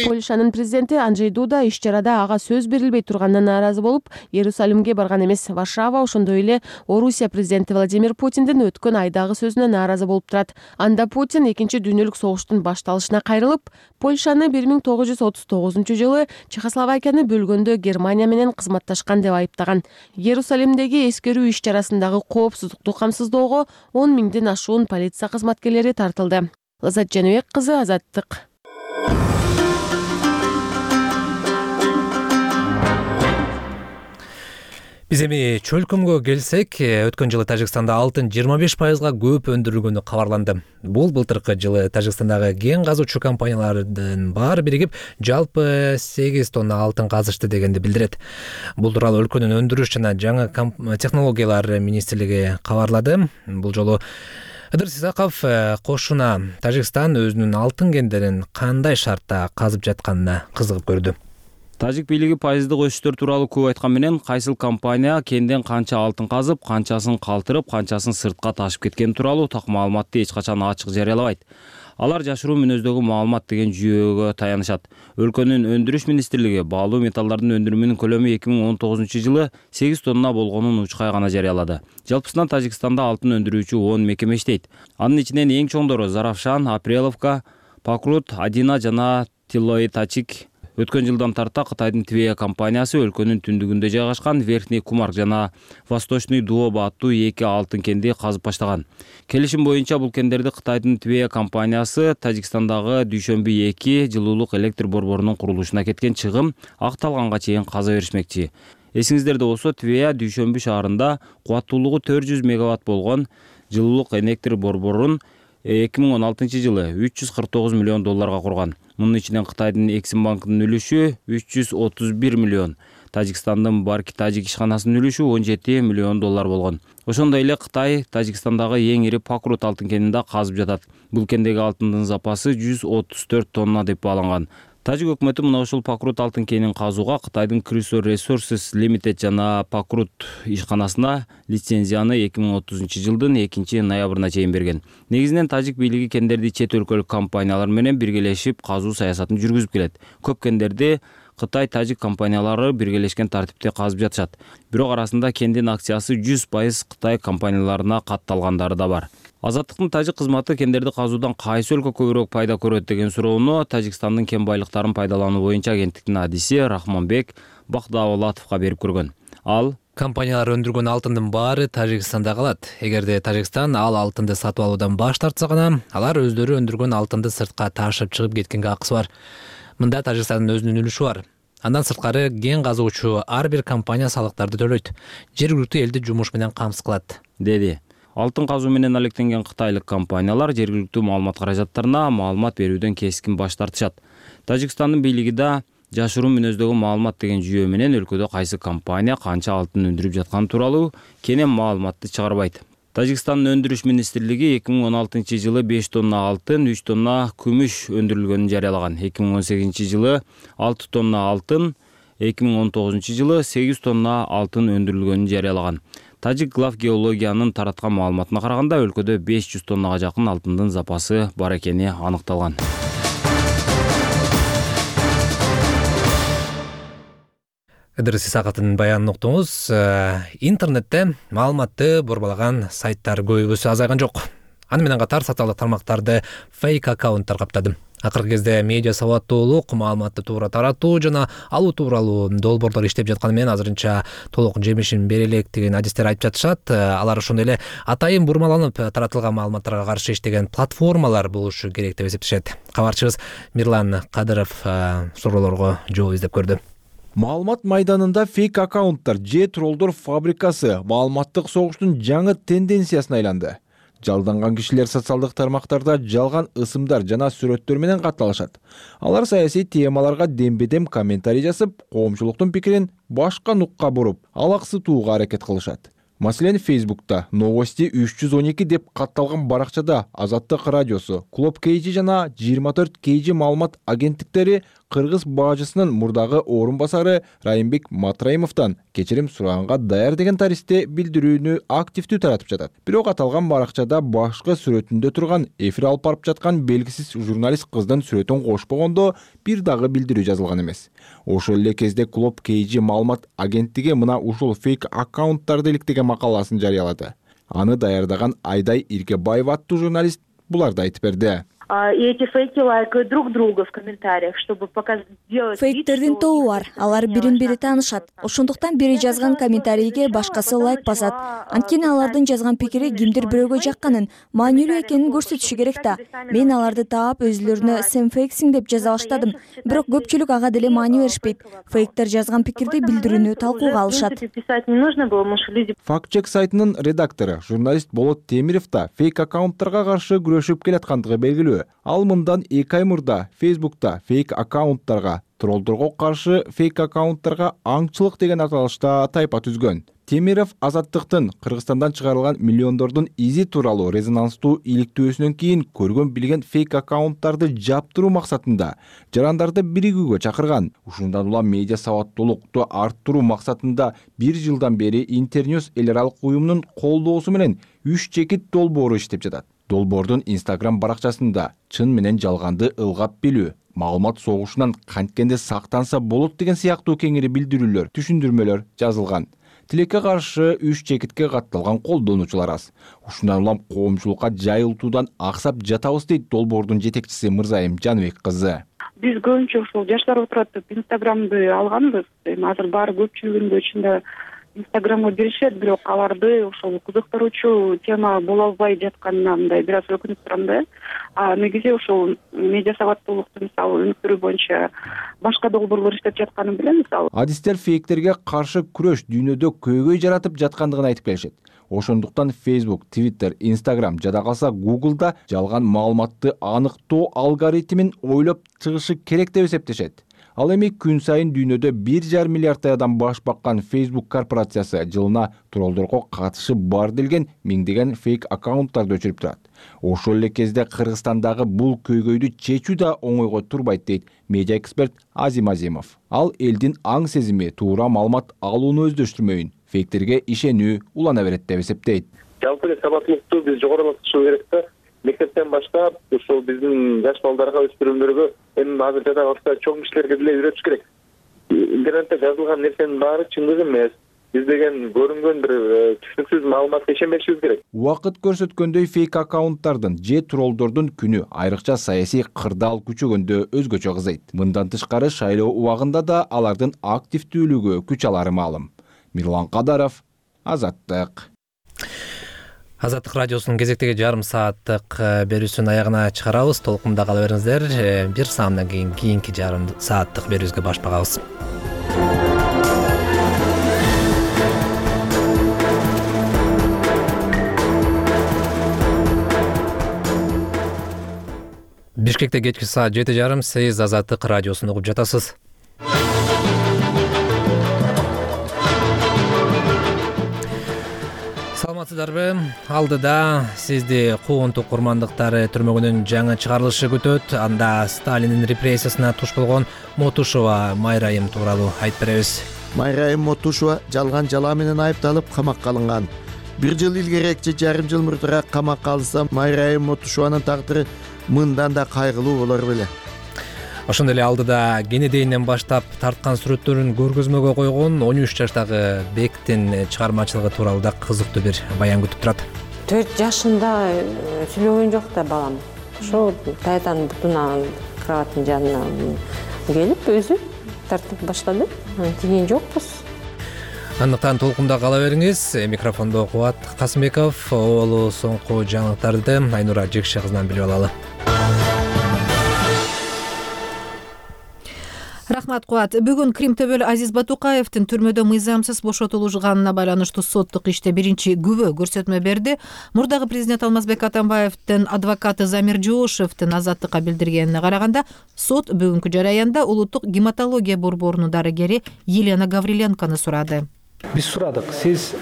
Польшанын президенти Анджей Дуда иш-чарада ага сөз берилбей турганына нааразы болуп, Иерусалимге барган эмес. Варшава ошондой эле Орусия президенти Владимир Путиндин өткөн айдагы сөзүнө нааразы болуп турат. Анда Путин экинчи дүйнөлүк согуштун башталышына кайрылып, Польшаны 1939 жылы Чехословакияны бөлгөндө Германия менен кызматташкан деп айыптаган. Иерусалимдеги эскерүү иш-чарасындагы коопсуздукту камсыздоого 10 миңден ашуун полиция кызматкерлери тартылды. Лазат Жаныбек кызы, Азаттык. Биз эми чөлкөмгө келсек, өткөн жылы Тажикстанда алтын 25% көп өндүрүлгөнү кабарланды. Бул былтыркы жылы Тажикстандагы кен казуучу компаниялардын баары биригип жалпы 8 тонна алтын казышты дегенди билдирет. Бул тууралуу өлкөнүн өндүрүш жана жаңы технологиялар министрлиги кабарлады. Бул жолу Ыдырыс Исаков кошуна Тажикстан өзүнүн алтын кендерин кандай шартта казып жатканына кызыгып көрдү. Тажик бийлиги пайыздык өсүштөр тууралуу көп айткан менен кайсыл компания кенден канча алтын казып, канчасын калтырып, канчасын сыртка ташып кеткени тууралуу так маалыматты эч качан ачык жарыялабайт. Алар жашыруу мүнөздөгү маалымат деген жүйөгө таянышат. Өлкөнүн өндүрүш министрлиги баалуу металлдардын өндүрүмүнүн көлөмү 2019 жылы 8 тонна болгонун учкай гана жарыялады. Жалпысынан Тажикстанда алтын өндүрүүчү 10 мекеме иштейт. Анын ичинен эң чоңдору Заравшан, Апреловка, Покрут, Адина жана Тилоитачик. Өткөн жылдан тарта Кытайдын Твея компаниясы өлкөнүн түндүгүндө жайгашкан Верхний Кумарк жана Восточный Дуоба аттуу 2 алтын кенди казып баштаган. Келишим боюнча бул кендерди Кытайдын Твея компаниясы Тажикстандагы Дүйшөмбү 2 жылуулук электр борборунун курулушуна кеткен чыгым акталганга чейин каза беришмекчи. Эсиңиздерде болсо, Твея Дүйшөмбү шаарында кубаттуулугу 400 мегаватт болгон жылуулук электр борборун 2016 жылы 349 миллион долларга курган. Мунун ичинен Кытайдын Эксим банкынын үлүшү 331 миллион, Тажикстандын Барки Тажик ишканасынын үлүшү 17 миллион доллар болгон. Ошондой эле Кытай Тажикстандагы эң ири Покрут алтын кенинде казып жатат. Бул кендеги алтындын запасы 134 тонна деп бааланган. Тажик өкмөтү мына ушул Покрут алтын кенин казууга Кытайдын Chrysler Resources Limited жана Покрут ишканасына лицензияны 2030 жылдын 2 ноябрына чейин берген. Негизинен Тажик бийлиги кендерди чет өлкөлүк компаниялар менен биргелешип казуу саясатын жүргүзүп келет. Көп кендерди Кытай Тажик компаниялары биргелешкен тартипте казып жатышат. Бирок арасында кендин акциясы 100% Кытай компанияларына катталгандары да бар. Азаттыктын Тажик кызматы кендерди казуудан кайсы өлкө көбүрөөк пайда көрөт деген суроону Тажикстандын кен байлыктарын пайдалануу боюнча агенттиктин адиси Рахманбек Бакдавлатовго берип көргөн. Ал компаниялар өндүргөн алтындын баары Тажикстанда калат. Эгерде Тажикстан ал алтынды сатып алуудан баш тартса гана, алар өздөрү өндүргөн алтынды сыртка ташып чыгып кеткенге акысы бар. Мында Тажикстандын өзүнүн үлүшү бар. Андан сырткары кен казуучу ар бир компания салыктарды төлөйт, жергиликтүү элди жумуш менен камсыз кылат, деди. Алтын казуу менен алектенген кытайлык компаниялар жергиликтүү маалымат каражаттарына маалымат берүүдөн кескин баш тартышат. Тажикстандын бийлиги да жашыруун мүнөздөгү маалымат деген жүйө менен өлкөдө кайсы компания канча алтын өндүрүп жатканы тууралуу кенен маалыматты чыгарбайт. Тажикстандын өндүрүш министрлиги 2016 жылы 5 тонна алтын, 3 тонна күмүш өндүрүлгөнүн жарыялаган. 2018 жылы 6 тонна алтын, 2019 жылы 8 тонна алтын өндүрүлгөнүн жарыялаган. Тажик глав геологиянын тараткан маалыматына караганда өлкөдө 500 тоннага жакын алтындын запасы бар экени аныкталган. Ыдырыс Исаковдун баянын уктуңуз. Интернетте маалыматты борбалаган сайттар көбүсү азайган жок. Аны менен катар социалдык тармактарды фейк аккаунттар каптады. Акыркы кезде медиа сабаттуулук, маалыматты туура таратуу жана алуу тууралуу долбоорлор иштеп жатканы менен азырынча толук жемишин бере элек деген адистер айтып жатышат. Алар ошондой эле атайын бурмаланып таратылган маалыматтарга каршы иштеген платформалар болушу керек деп эсептешет. Кабарчыбыз Мирлан Кадыров суроолорго жооп издеп көрдү. Маалымат майданында фейк аккаунттар же троллдор фабрикасы маалыматтык согуштун жаңы тенденциясына айланды. Жалданган кишилер социалдык тармактарда жалган ысымдар жана сүрөттөр менен катталышат. Алар саясий темаларга дембедем комментарий жазып, коомчулуктун пикирин башка нукка буруп, алаксытууга аракет кылышат. Маселен, Facebook'ta новости 312 деп катталган баракчада Азаттык радиосу, Клуб KG жана 24 KG маалымат агенттиктери кыргыз баажысынын мурдагы орун басары Райымбек Матраимовдон кечирим сураганга даяр деген таристе билдирүүнү активдүү таратып жатат. Бирок аталган баракчада башкы сүрөтүндө турган эфир алып барып жаткан белгисиз журналист кыздын сүрөтүн кошпогондо бир дагы билдирүү жазылган эмес. Ошол эле кезде Клуб KG маалымат агенттиги мына ушул фейк аккаунттарды иликтеген макаласын жарыялады. Аны даярдаган Айдай Иркебаева аттуу журналист буларды айтып берди. И эти фейки лайкают друг друга в комментариях, чтобы показать. Фейктердин тобу бар, алар бирин-бири таанышат. Ошондуктан бири жазган комментарийге башкасы лайк басат. Анткени алардын жазган пикири кимдир бирөөгө жакканын, маанилүү экенин көрсөтүшү керек да. Мен аларды таап өзүлөрүнө сен фейксиң деп жаза баштадым. Бирок көпчүлүк ага деле маани беришпейт. Фейктер жазган пикирди билдирүүнү талкууга алышат. Фактчек сайтынын редактору, журналист Болот Темиров да фейк аккаунттарга каршы күрөшүп келаткандыгы белгилүү. Ал мындан 2 ай мурда Facebook'ta фейк аккаунттарга, троллдорго каршы фейк аккаунттарга аңчылык деген аталышта тайпа түзгөн. Темиров Азаттыктын Кыргызстандан чыгарылган миллиондордун изи тууралуу резонанстуу иликтөөсүнөн кийин көргөн билген фейк аккаунттарды жаптыруу максатында жарандарды биригүүгө чакырган. Ушундан улам медиа сабаттуулукту арттыруу максатында 1 жылдан бери Интерньюс эл аралык уюмунун колдоосу менен 3 чекит долбоору иштеп жатат. Долбоордун Instagram баракчасында чын менен жалганды ылгап билүү, маалымат согушунан канткенде сактанса болот деген сыяктуу кеңири билдирүүлөр, түшүндүрмөлөр жазылган. Тилекке каршы 3 чекитке катталган колдонуучулар аз. Ушундан улам коомчулукка жайылтуудан аксап жатабыз дейт долбоордун жетекчиси Мырзайым Жаныбек кызы. Биз көбүнчө ушул жаштар отурат Инстаграмды алганбыз. Азыр баары көпчүлүгүндө ичинде Инстаграмга беришет, бирок аларды ошол кызыктыруучу тема боло албай жатканына мындай бир аз өкүнүп турам да. Негизи ошол медиа сабаттуулукту мисалы өнүктүрүү боюнча башка долбоорлор иштеп жатканын билем мисалы. Адистер фейктерге каршы күрөш дүйнөдө көйгөй жаратып жаткандыгын айтып келишет. Ошондуктан Facebook, Twitter, Instagram жада калса Google'да жалган маалыматты аныктоо алгоритмин ойлоп чыгышы керек деп эсептешет. Ал эми күн сайын дүйнөдө 1,5 миллиардтай адам баш баккан Facebook корпорациясы жылына троллдорго катышы бар делген миңдеген фейк аккаунттарды өчүрүп турат. Ошол эле кезде Кыргызстандагы бул көйгөйдү чечүү да оңойго турбайт дейт медиа эксперт Азим Азимов. Ал элдин аң сезими туура маалымат алууну өздөштүрмөйүн, фейктерге ишенүү улана берет деп эсептейт. Жалпы эле сабаттуулукту биз жогорулатышы керек да. Мектептен баштап ушул биздин жаш балдарга, өспүрүмдөргө, эми азыр жада калса чоң кишилерге деле үйрөтүш керек. Интернетте жазылган нерсенин баары чындык эмес. Биз деген көрүнгөн бир түшүнүксүз маалыматка ишенбешибиз керек. Убакыт көрсөткөндөй фейк аккаунттардын же троллдордун күнү айрыкча саясий кырдаал күчөгөндө өзгөчө кызыйт. Мындан тышкары шайлоо убагында да алардын активдүүлүгү күч алары маалым. Мирлан Кадаров, Азаттык. Азаттык радиосунун кезектеги жарым сааттык берүүсүнүн аягына чыгарабыз. Толкунда кала бериңиздер. Бир саамдан кийин кийинки жарым сааттык берүүбүзгө баш багабыз. Бишкекте кечки саат 7:30. Сиз Азаттык радиосун угуп жатасыз. Саламатсыздарбы? Алдыда сизди куугунтук курмандыктары түрмөгүнүн жаңы чыгарылышы күтөт. Анда Сталиндин репрессиясына туш болгон Мотушова Майрайым тууралуу айтып беребиз. Майрайым Мотушова жалган жалаа менен айыпталып камакка алынган. 1 жыл илгерээк же жарым жыл мурдураак камакка алынса, Майрайым Мотушованын тагдыры мындан да кайгылуу болор беле. Ошондой эле алдыда кенедейинен баштап тарткан сүрөттөрүн көргөзмөгө койгон 13 жаштагы Бектин чыгармачылыгы тууралуу да кызыктуу бир баян күтүп турат. 4 жашында сүйлөгөн жок да балам. Ошо тайтанын бутуна кроваттын жанына келип өзү тартып баштады. Тиген жокпуз. Андыктан толкунда кала бериңиз. Микрофондо Кубат Касымбеков, оолу соңку жаңылыктарды Айнура Жекше кызынан билип алалы. Рахмат, Кубат. Бүгүн Кримтөбөл Азиз Батукаевдин түрмөдө мыйзамсыз бошотулганына байланыштуу соттук иште биринчи күбө көрсөтмө берди. Мурдагы президент Алмазбек Атамбаевдин адвокаты Замир Жоошевдин Азаттыкка билдиргенине караганда, сот бүгүнкү жараянда улуттук гематология борборунун дарыгери Елена Гавриленканы сурады. Биз сурадык, сиз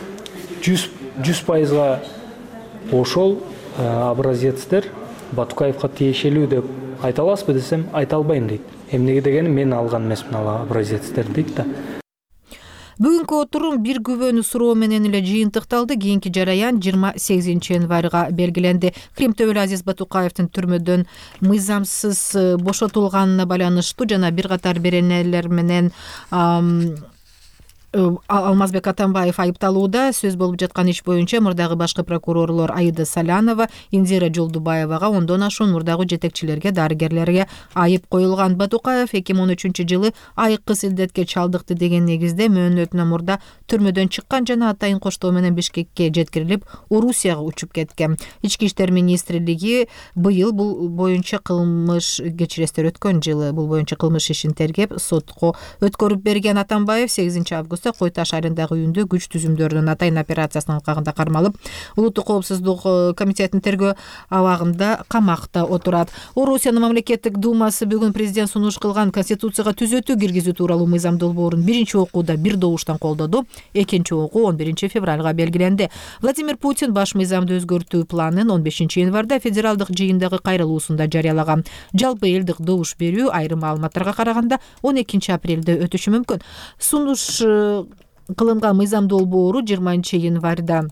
100% ошол образецтер Батукаевга тиешелүү деп айта аласызбы десем, айта албайм дейт. Эмнеге дегени мен алган эмесмин ал образецтерди дейт да. Бүгүнкү отурум бир күбөнү суроо менен эле жыйынтыкталды. Кийинки жараян 28 январга белгиленди. Кримтөбөл Азиз Батукаевдин түрмөдөн мыйзамсыз бошотулганына байланыштуу жана бир катар беренелер менен Алмазбек Атамбаев айыпталууда. Сөз болуп жаткан иш боюнча мурдагы башкы прокурорлор Аида Салянова, Индира Жолдубаевага, ондон ашуун мурдагы жетекчилерге, дарыгерлерге айып коюлган. Батукаев 2013-жылы айыккыс илдетке чалдыкты деген негизде мөөнөтүнөн мурда түрмөдөн чыккан жана атайын коштоо менен Бишкекке жеткирилип, Орусияга учуп кеткен. Ички иштер министрлиги быйыл бул боюнча кылмыш кечирестер өткөн жылы бул боюнча кылмыш ишин тергеп, сотко өткөрүп берген. Атамбаев 8-августта Кой Таш айылындагы үйүндө күч түзүмдөрүнүн атайын операциясынын алкагында кармалып, улуттук коопсуздук комитетинин тергөө абагында камакта отурат. Орусиянын мамлекеттик думасы бүгүн президент сунуш кылган конституцияга түзөтүү киргизүү тууралуу мыйзам долбоорун биринчи окууда бир добуштан колдоду. Экинчи окуу 11 февралга белгиленди. Владимир Путин баш мыйзамды өзгөртүү планын 15 январда федералдык жыйындагы кайрылуусунда жарыялаган. Жалпы элдик добуш берүү айрым маалыматтарга караганда 12 апрелде өтүшү мүмкүн. Сунуш кылынган мыйзам долбоору 20 январда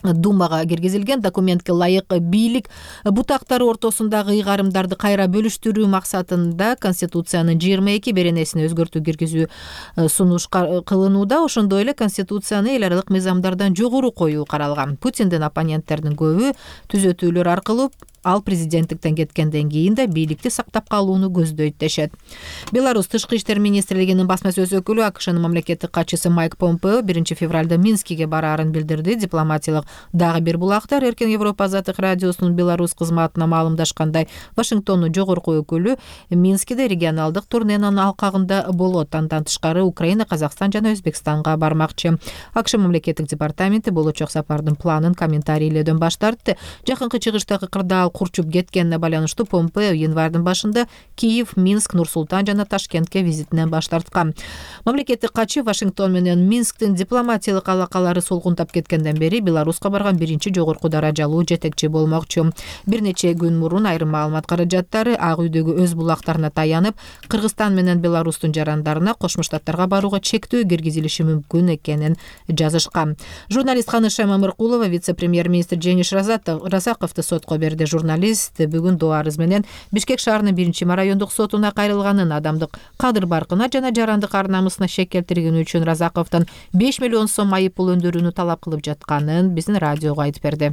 Думага киргизилген. Документке ылайык бийлик бутактары ортосундагы ыйгарымдарды кайра бөлүштүрүү максатында Конституциянын 22 беренесине өзгөртүү киргизүү сунуш кылынууда. Ошондой эле Конституцияны эл аралык мыйзамдардан жогору коюу каралган. Путиндин оппоненттеринин көбү түзөтүүлөр аркылуу ал президенттиктен кеткенден кийин да бийликти сактап калууну көздөйт дешет. Беларусь тышкы иштер министрлигинин басма сөз өкүлү АКШнын мамлекеттик катчысы Майк Помпео 1 февралда Минскиге бараарын билдирди. Дипломатиялык дагы бир булактар Эркен Европа Азаттык радиосунун Беларусь кызматына маалымдашкандай, Вашингтондун жогорку өкүлү Минскиде регионалдык турненин алкагында болот. Андан тышкары Украина, Казакстан жана Өзбекстанга бармакчы. АКШ мамлекеттик департаменти болочок сапардын планын комментарийлөөдөн баш тартты. Жакынкы чыгыштагы кырдаал курчуп кеткенине байланыштуу Помпео январдын башында Киев, Минск, Нур-Султан жана Ташкентке визитинен баш тарткан. Мамлекеттик катчы Вашингтон менен Минсктин дипломатиялык алакалары солгунтап кеткенден бери Беларуска барган биринчи жогорку даражалуу жетекчи болмокчу. Бир нече күн мурун айрым маалымат каражаттары Ак үйдөгү өз булактарына таянып, Кыргызстан менен Беларустун жарандарына Кошмо Штаттарга барууга чектөө киргизилиши мүмкүн экенин жазышкан. Журналист Ханыша Мамыркулова вице-премьер-министр Жениш Разаковду сотко берди. Журналист бүгүн доо арыз менен Бишкек шаарынын 1 райондук сотуна кайрылганын, адамдык кадыр баркына жана жарандык ар намысына шек келтиргени үчүн Разаковдон 5 миллион сом айып пул өндүрүүнү талап кылып жатканын биздин радиого айтып берди.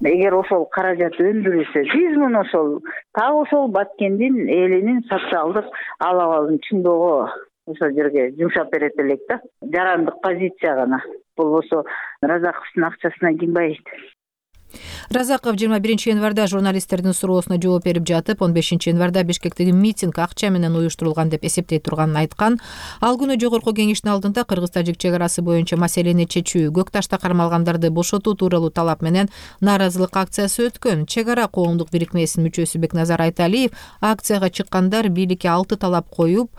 Эгер ошол каражат өндүрүлсө, биз муну ошол ошол Баткендин элинин социалдык абалын чыңдоого ошол жерге жумшап берет элек да. Жарандык позиция гана. болбосо Разаковдун акчасына ким байыйт? Разаков 21 январда журналисттердин суроосуна жооп берип жатып, 15 январда Бишкектеги митинг акча менен уюштурулган деп эсептей турганын айткан. Ал күнү жогорку кеңештин алдында кыргыз-тажик чек арасы боюнча маселени чечүү, Көк Ташта кармалгандарды бошотуу тууралуу талап менен нааразылык акциясы өткөн. Чек ара коомдук бирикмесинин мүчөсү Бекназар Айталиев акцияга чыккандар бийликке 6 талап коюп,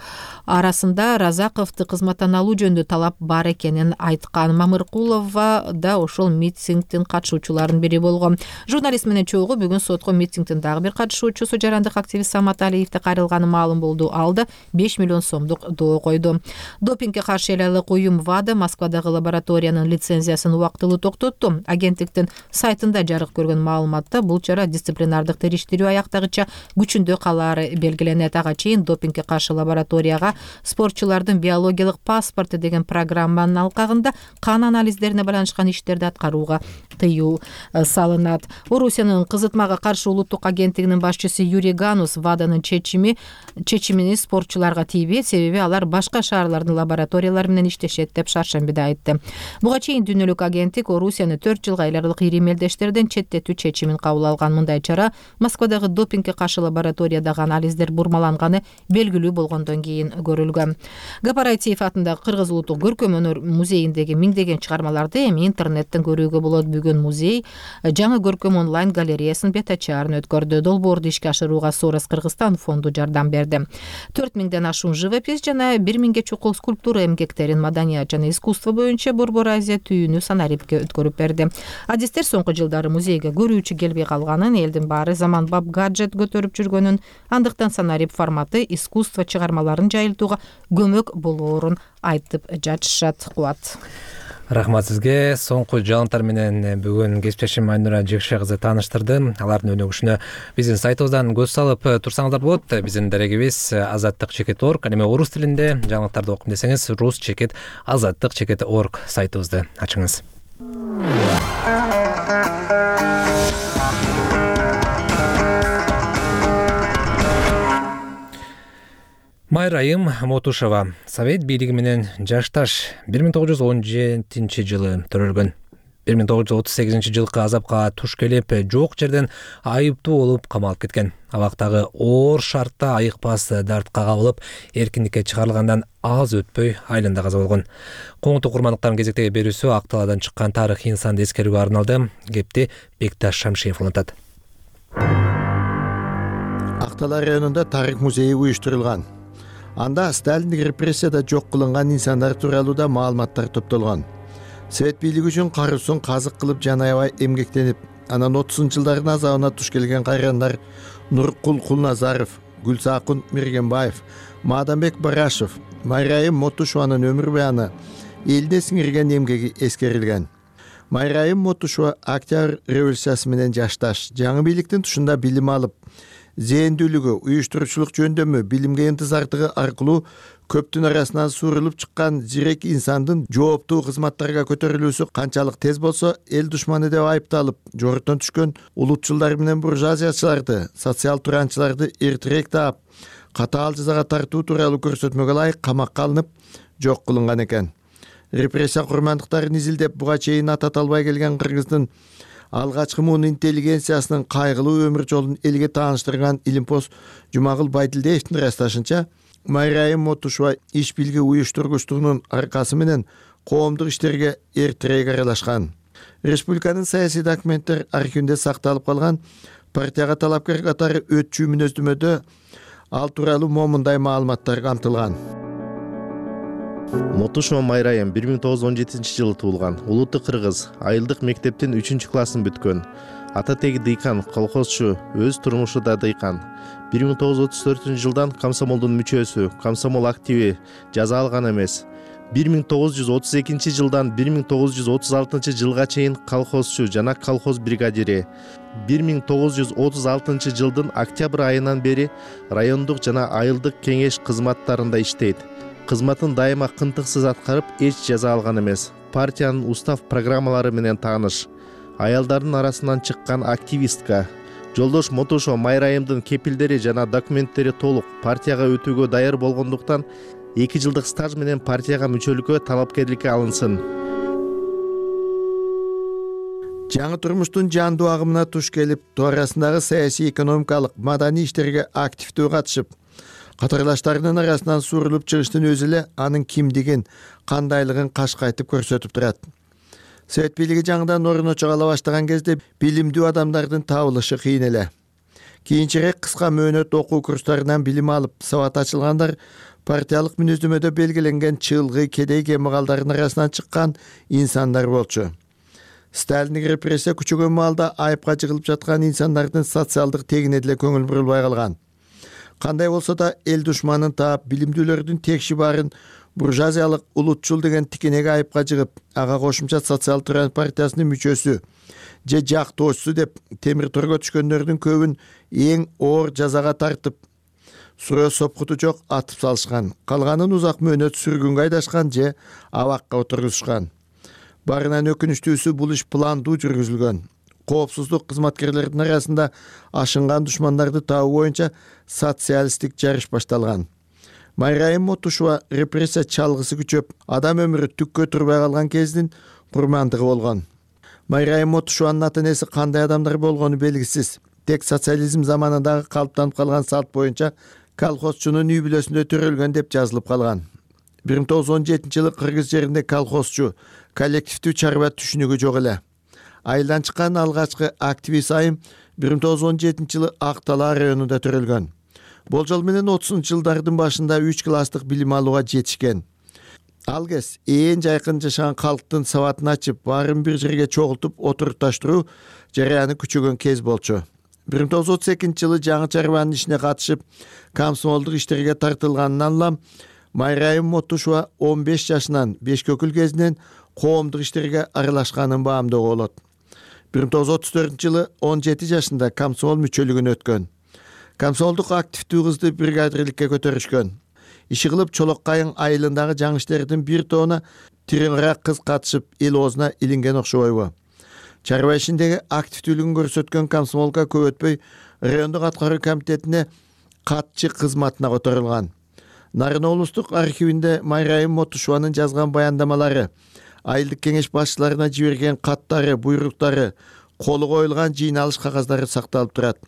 арасында Разаковду кызматтан алуу жөнүндө талап бар экенин айткан. Мамыркулова да ошол митингдин катышуучуларынын бири болгон. Журналист менен чогуу бүгүн сотко митингдин дагы бир катышуучусу жарандык активист Самат Алиевди кайрылганы маалым болду. Ал да 5 миллион сомдук доо койду. Допингге каршы эл айлык уюм ВАДА Москвадагы лабораториянын лицензиясын убактылуу токтотту. Агенттиктин сайтында жарык көргөн маалыматта бул чара дисциплинардык териштирүү аяктагыча күчүндө калаары белгиленет. Ага чейин допингге каршы лабораторияга спортчулардын биологиялык паспорту деген программанын алкагында кан анализдерине байланышкан иштерди аткарууга тыюу салынат. Орусиянын кызытмага каршы улуттук агенттигинин башчысы Юрий Ганус ВАДАнын чечимини спортчуларга тийбейт, себеби алар башка шаарлардын лабораториялары менен иштешет деп шаршембиде айтты. Буга чейин дүйнөлүк агенттик Орусияны 4 жылга айларлык ири мелдештерден четтетүү чечимин кабыл алган. Мындай чара Москвадагы допингге каршы лабораториядагы анализдер бурмаланганы белгилүү болгондон кийин көрүлгөн. Гапар Айтиев атындагы Кыргыз улуттук көркөм өнөр музейиндеги миңдеген чыгармаларды эми интернеттен көрүүгө болот. Бүгүн музей жаңы көркөм онлайн галереясынын бет ачаарын өткөрдү. Долбоорду ишке ашырууга Сорос Кыргызстан фонду жардам берди. 4000ден ашуун живопись жана 1000ге чукул скульптура эмгектерин маданият жана искусство боюнча Борбор Азия түйүнү Санарипке өткөрүп берди. Адистер соңку жылдары музейге көрүүчү келбей калганын, элдин баары заманбап гаджет көтөрүп жүргөнүн, андыктан Санарип форматы искусство чыгармаларын жайылтууга көмөк болоорун айтып жатышат. Кубат. Рахмат сизге. Соңку жаңылыктар менен бүгүн кесиптешим Айнура Жекше кызы тааныштырды. Алардын өнүгүшүнө биздин сайтыбыздан көз салып турсаңыздар болот. Биздин дарегибиз azattik.org. Эми орус тилинде жаңылыктарды окуйм десеңиз rus.azattik.org сайтыбызды ачыңыз. Майрайым Мотушова Совет бийлиги менен жашташ 1917 жылы төрөлгөн. 1938 жылкы азапка туш келип, жок жерден айыптуу болуп камалып кеткен. Абактагы оор шартта айыкпас дартка кабылып, эркиндикке чыгарылгандан аз өтпөй айланда каза болгон. Коңту курмандыктардын кезектеги берүүсү Ак талаадан чыккан тарыхый инсанды эскерүүгө арналды. Кепти Бекташ Шамшиев улантат. Ак талаа районунда тарых музейи уюштурулган. Анда Сталиндик репрессияда жок кылынган инсандар тууралуу да маалыматтар топтолгон. Совет бийлиги үчүн каруусун казык кылып жана аябай эмгектенип, анан 30-жылдардын азабына туш келген кайрандар Нуркул Кулназаров, Гүлсакун Миргенбаев, Мадамбек Барашев, Майрайым Мотушованын өмүр баяны, элине сиңирген эмгеги эскерилген. Майрайым Мотушова Октябрь революциясы менен жашташ, жаңы бийликтин тушунда билим алып, зээндүүлүгү, уюштуруучулук жөндөмү, билимге интизардыгы аркылуу көптүн арасынан суурулуп чыккан зирек инсандын жооптуу кызматтарга көтөрүлүүсү канчалык тез болсо, эл душманы деп айыпталып, жорттон түшкөн улутчулдар менен буржуазиячыларды, социал туранчыларды эртерээк таап, катаал жазага тартуу тууралуу көрсөтмөгө ылайык камакка алынып, жок кылынган экен. Репрессия курмандыктарын изилдеп, буга чейин атат албай келген Кыргыздын алгачкы муун интеллигенциясынын кайгылуу өмүр жолун элге тааныштырган илимпоз Жумагул Байдилдеевдин ырасташынча, Майрайым Мотушова иш билги уюштургучтугунун аркасы менен коомдук иштерге эртерээк аралашкан. Республиканын саясий документтер архивинде сакталып калган партияга талапкер катары өтчү мүнөздөмөдө ал тууралуу момундай маалыматтар камтылган. Мотушова Майрайым 1917 жылы туулган. Улуттук кыргыз, айылдык мектептин 3-классын бүткөн. Ата теги дыйкан, колхозчу, өз турмушу да дыйкан. 1934 жылдан комсомолдун мүчөсү, комсомол активи, жаза алган эмес. 1932 жылдан 1936 жылга чейин колхозчу жана колхоз бригадири. 1936 жылдын октябрь айынан бери райондук жана айылдык кеңеш кызматтарында иштейт. Кызматын дайыма кынтыксыз аткарып, эч жаза алган эмес. Партиянын устав программалары менен тааныш. Аялдардын арасынан чыккан активистка. Жолдош Мотушова Майрайымдын кепилдери жана документтери толук, партияга өтүүгө даяр болгондуктан 2 жылдык стаж менен партияга мүчөлүккө талапкерликке алынсын. жаңы турмуштун жандуу агымына туш келип, тоо арасындагы саясий, экономикалык, маданий иштерге активдүү катышып, катарлаштарынын арасынан суурулуп чыгыштын өзү эле анын кимдигин, кандайлыгын кашкайтып көрсөтүп турат. Совет бийлиги жаңыдан орночо кала баштаган кезде билимдүү адамдардын табылышы кыйын эле. Кийинчерээк кыска мөөнөт окуу курстарынан билим алып, сабат ачылгандар партиялык мүнөздөмөдө белгиленген чыылгы, кедей кембагалдардын арасынан чыккан инсандар болчу. Сталиндик репрессия күчөгөн маалда айыпка жыгылып жаткан инсандардын социалдык тегине деле көңүл бурулбай калган. Кандай болсо да эл душманын таап, билимдүүлөрдүн текши баарын буржуазиялык улутчул деген тикенеге айыпка жыгып, ага кошумча социал туран партиясынын мүчөсү же жактоочусу деп темир торго түшкөндөрдүн көбүн эң оор жазага тартып, суроо сопкуту жок атып салышкан. Калганын узак мөөнөт сүргүнгө айдашкан же абакка отургузушкан. Барынан өкүнүчтүүсү бул иш пландуу жүргүзүлгөн. Коопсуздук кызматкерлердин арасында ашынган душмандарды табуу боюнча социалисттик жарыш башталган. Майрайым Мотушова репрессия чалгысы күчөп, адам өмүрү түккө турбай калган кездин курмандыгы болгон. Майрайым Мотушованын ата-энеси кандай адамдар болгону белгисиз. Тек социализм заманындагы калыптанып калган салт боюнча колхозчунун үй бүлөсүндө төрөлгөн деп жазылып калган. 1917-жылы Кыргыз жеринде колхозчу, коллективдүү чарба түшүнүгү жок эле. Айылдан чыккан алгачкы активист айым 1917-жылы Ак-Талаа районунда төрөлгөн. Болжол менен 30-жылдардын башында 3 класстык билим алууга жетишкен. Ал кез ээн жайкын жашаган калктын сабатын ачып, баарын бир жерге чогултуп отурукташтыруу жараяны күчөгөн кез болчу. 1932-жылы жаңы чарбанын ишине катышып, комсомолдук иштерге тартылганынан улам Майрайым Мотушова 15 жашынан Бешкөкүл кезинен коомдук иштерге аралашканын баамдоого болот. 1934-жылы 17 жашында комсомол мүчөлүгүнө өткөн. Комсомолдук активдүү кызды бригадирликке көтөрүшкөн. Иши кылып Чолок-Кайың айылындагы жаңы иштердин бир тоона тиреңирээк кыз катышып, эл оозуна илинген окшобойбу. Чарба ишиндеги активдүүлүгүн көрсөткөн комсомолга көп өтпөй райондук аткаруу комитетине катчы кызматына которулган. Нарын облустук архивинде Майрайым Мотушованын жазган баяндамалары, айылдык кеңеш башчыларына жиберген каттары, буйруктары, колу коюлган жыйналыш кагаздары сакталып турат.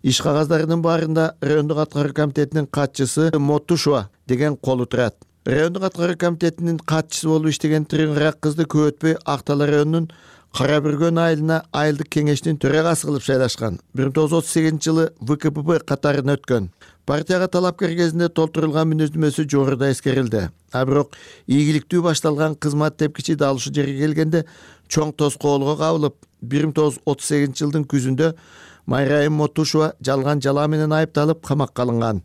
Иш кагаздарынын баарында райондук аткаруу комитетинин катчысы Мотушова деген колу турат. Райондук аткаруу комитетинин катчысы болуп иштеген тиреңирээк кызды көп өтпөй Ак-Талаа районунун Кара Бүргөн айылына айылдык кеңештин төрагасы кылып шайлашкан. 1938-жылы ВКПБ катарына өткөн. Партияга талапкер кезинде толтурулган мүнөздөмөсү жогоруда эскерилди. А бирок ийгиликтүү башталган кызмат тепкичи далышы жерге келгенде чоң тоскоолго кабылып, 1938-жылдын күзүндө Майрайым Мотушова жалган жалаа менен айыпталып камакка алынган.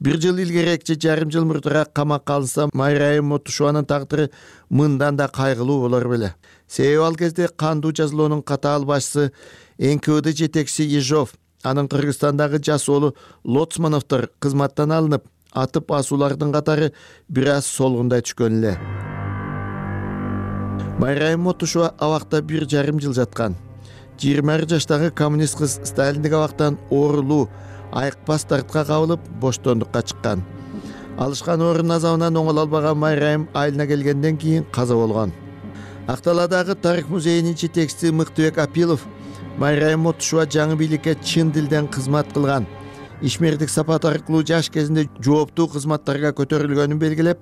1 жыл илгерээк же жарым жыл мурдараак камакка алынса, Майрайым Мотушованын тагдыры мындан да кайгылуу болор беле. Себеби ал кезде кандуу жазалоонун катаал башчысы НКВД жетекчиси Ежов, анын Кыргызстандагы жас оолу Лоцмановдор кызматтан алынып, атып асуулардын катары бир аз солгундай түшкөн эле. Майрайым Мотушова абакта 1,5 жыл жаткан. 20 жаштагы коммунист кыз Сталиндик абактан оорулуу, айыкпас дартка кабылып, боштондукка чыккан. Алышкан орун азабынан оңоло албаган Майрайым айылына келгенден кийин каза болгон. Ак-Талаадагы тарых музейинин жетекчиси Мыктыбек Апилов Майрайым Мотушова жаңы бийликке чын дилден кызмат кылган, ишмердик сапат аркылуу жаш кезинде жооптуу кызматтарга көтөрүлгөнүн белгилеп,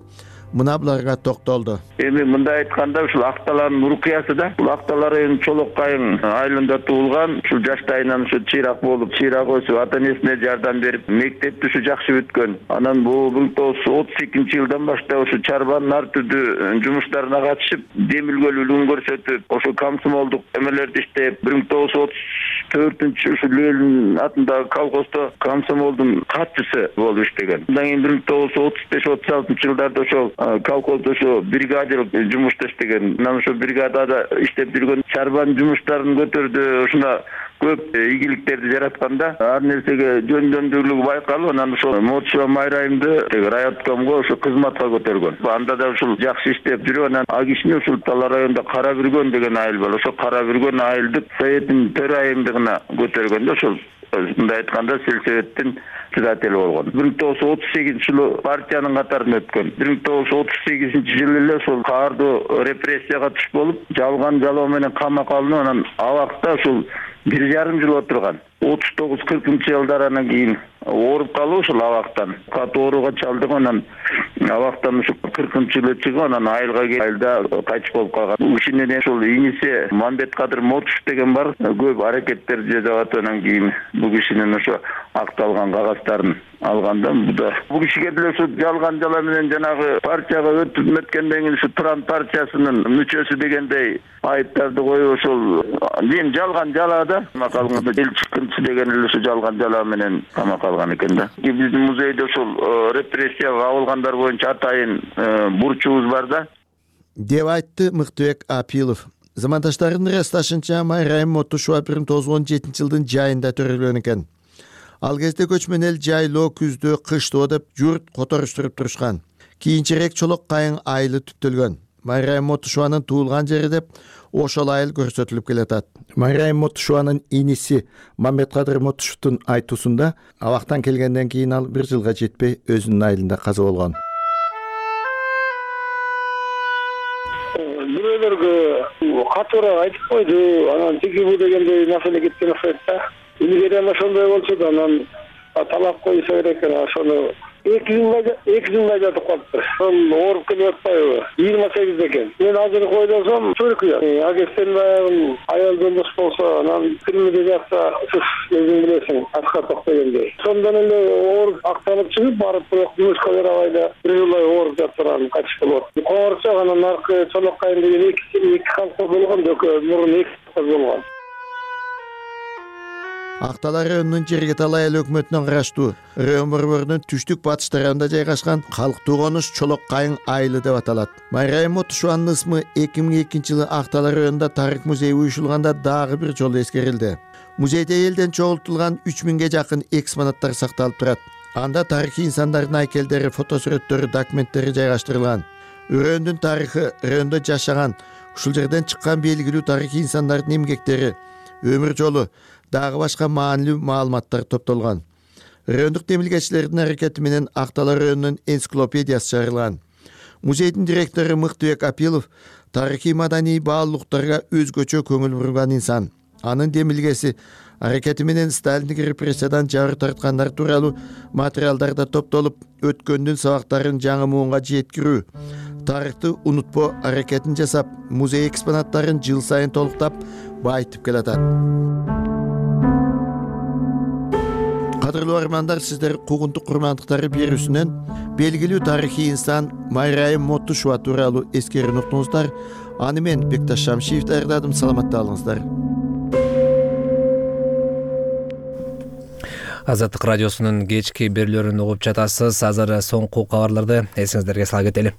мына буларга токтолду. Эми мындай айтканда, ушул Ак-Талаанын урукуясы да, бул Ак-Талаа районунун Чолок-Кайың айылында туулган, ушул жаштайынан ушу чыйрак болуп, чыйрак өсүп, ата-энесине жардам берип, мектепти ушу жакшы бүткөн. Анан бул 1932-жылдан баштап ушу чарбанын ар түрдүү жумуштарына катышып, демилгөлүүлүгүн көрсөтүп, ошо комсомолдук эмелерди иштеп, 1934-жылы ушу Лөлүн атындагы колхоздо комсомолдун катчысы болуп иштеген. Андан кийин 1935-36-жылдарда ошол колхоздо ошо бригадир жумушта иштеген. Анан ошо бригадада иштеп жүргөн чарбанын жумуштарын көтөрдү. Ушуна көп ийгиликтерди жаратканда ар нерсеге жөндөмдүүлүгү байкалып, анан ошол Мотушова Майрайымды райоткомго ошо кызматка көтөргөн. Анда да ушул жакшы иштеп жүрүп, анан а кишини ушул Талаа районунда Кара Бүргөн деген айыл бар. Ошо Кара Бүргөн айылдык советтин төрайымдыгына көтөргөндө ошол мындай айтканда сельсоветтин председателі болгон. 1938 партиянын катарына өткөн. 1938 эле ошол каардуу репрессияга туш болуп, жалган жалоо менен камакка алынып, анан абакта ушул 1,5 жыл отурган. 39-40 жылдар анан кийин ооруп калып ушул абактан катуу ооруга чалдык, анан абактан ушул 40 жылы чыгып, анан айылда кайтыш болуп калган. Бул кишинин ушул иниси Мамбеткадыр Мотушев деген бар, көп аракеттер жасап атып, анан кийин бул кишинин ошо акталган кагаздарын алганда бул кишиге деле ушул жалган жала менен жанагы партияга өтүп өткөндөн кийин ушу Туран партиясынын мүчөсү дегендей айыптарды коюп, ошол мен жалган жалаада камакка алганда эл чыккынчы деген эле ушу жалган жала менен камакка алган экен да. Биздин музейде ошол репрессияга кабылгандар боюнча атайын бурчубуз бар да, деп айтты Мыктыбек Апилов. Замандаштардын ырасташынча Майрайым Мотушева 1917 жылдын жайында төрөлгөн экен. Ал кезде көчмөн эл жайлоо, күздө, кыштоо деп журт которуштуруп турушкан. Кийинчерээк Чолок Кайың айылы түптөлгөн. Майрайым Мотушеванын туулган жери деп ошол айыл көрсөтүлүп келатат. Майрайым Мотушеванын иниси Мамбеткадыр Мотушевдун айтуусунда абактан келгенден кийин ал 1 жылга жетпей өзүнүн айылында каза болгон. Бирөөлөргө катуураак айтып койду, анан тиги бу дегендей маселе кеткен окшойт да. Илгери ошондой болчу да, анан талап коюша керек экен. Ошону 2 жылдай жатып калыптыр. Ошол ооруп келип атпайбы? 28 экен. Мен азыр койдосом чөркү. Агестен баягы аял жолдош болсо, анан кирмеде жатса, өзүң билесиң, аскарток дегендей. Сондан эле ооруп акталып чыгып барып, бирок жумушка барабай да 1 жылдай ооруп жатыр, анан кайтыш болот. Коңорчок анан аркы Чолок Кайың деген 2 колхоз болгон, мурун 2 колхоз болгон. Актала районунун Жергеталы айыл өкмөтүнөн караштуу район борборунун түштүк батыш тарабында жайгашкан калктуу конуш Чолок Кайың айылы деп аталат. Майрайым Мотушеванын ысмы 2002 жылы Актала районунда тарых музейи уюшулганда дагы бир жолу эскерилди. Музейде элден чогултулган 3000ге жакын экспонаттар сакталып турат. Анда тарыхый инсандардын айкелдери, фотосурөттөрү, документтери жайгаштырылган. Райондун тарыхы, райондо жашаган, ушул жерден чыккан белгилүү тарыхый инсандардын эмгектери, өмүр жолу, дагы башка маанилүү маалыматтар топтолгон. Райондук демилгечилердин аракети менен Актала районунун энциклопедиясы чыгарылган. Музейдин директору Мыктыбек Апилов тарыхый маданий баалуулуктарга өзгөчө көңүл бурган инсан. Анын демилгеси аракети менен Сталиндик репрессиядан жабыр тарткандар тууралуу материалдарда топтолуп, өткөндүн сабактарын жаңы муунга жеткирүү, тарыхты унутпоо аракетин жасап, музей экспонаттарын жыл сайын толуктап, байытып келатат. Кадырлуу армандар, сиздер куугунтук курмандыктары берүүсүнөн белгилүү тарыхый инсан Майрайым Мотушева тууралуу эскерүүнү уктуңуздар. Аны мен Бекташ Шамшиев даярдадым. Саламатта болуңуздар. Азаттык радиосунун кечки берүүлөрүн угуп жатасыз. Азыр соңку кабарларды эсиңиздерге сала кетели.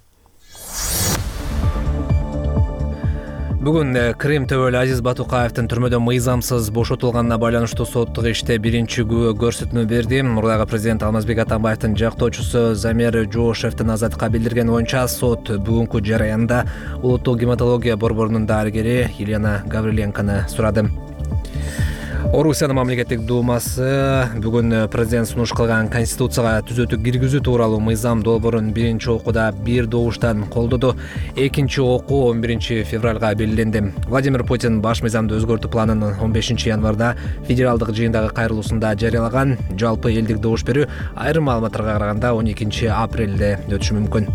Бүгүн Крим төбөлү Азиз Батукаевдин түрмөдөн мыйзамсыз бошотулганына байланыштуу соттук иште биринчи күбө көрсөтмө берди. Мурдагы президент Алмазбек Атамбаевдин жактоочусу Замир Жоошевдин Азаттыкка билдиргени боюнча сот бүгүнкү жараянда улуттук гематология борборунун дарыгери Елена Гавриленкону сурады. Орусиянын мамлекеттик думасы бүгүн президент сунуш кылган конституцияга түзөтүү киргизүү тууралуу мыйзам долбоорун биринчи окууда бир добуштан колдоду. Экинчи окуу 11 февралга белгиленди. Владимир Путин баш мыйзамды өзгөртүү планын 15 январда федералдык жыйындагы кайрылуусунда жарыялаган. Жалпы элдик добуш берүү айрым маалыматтарга караганда 12 апрелде өтүшү мүмкүн.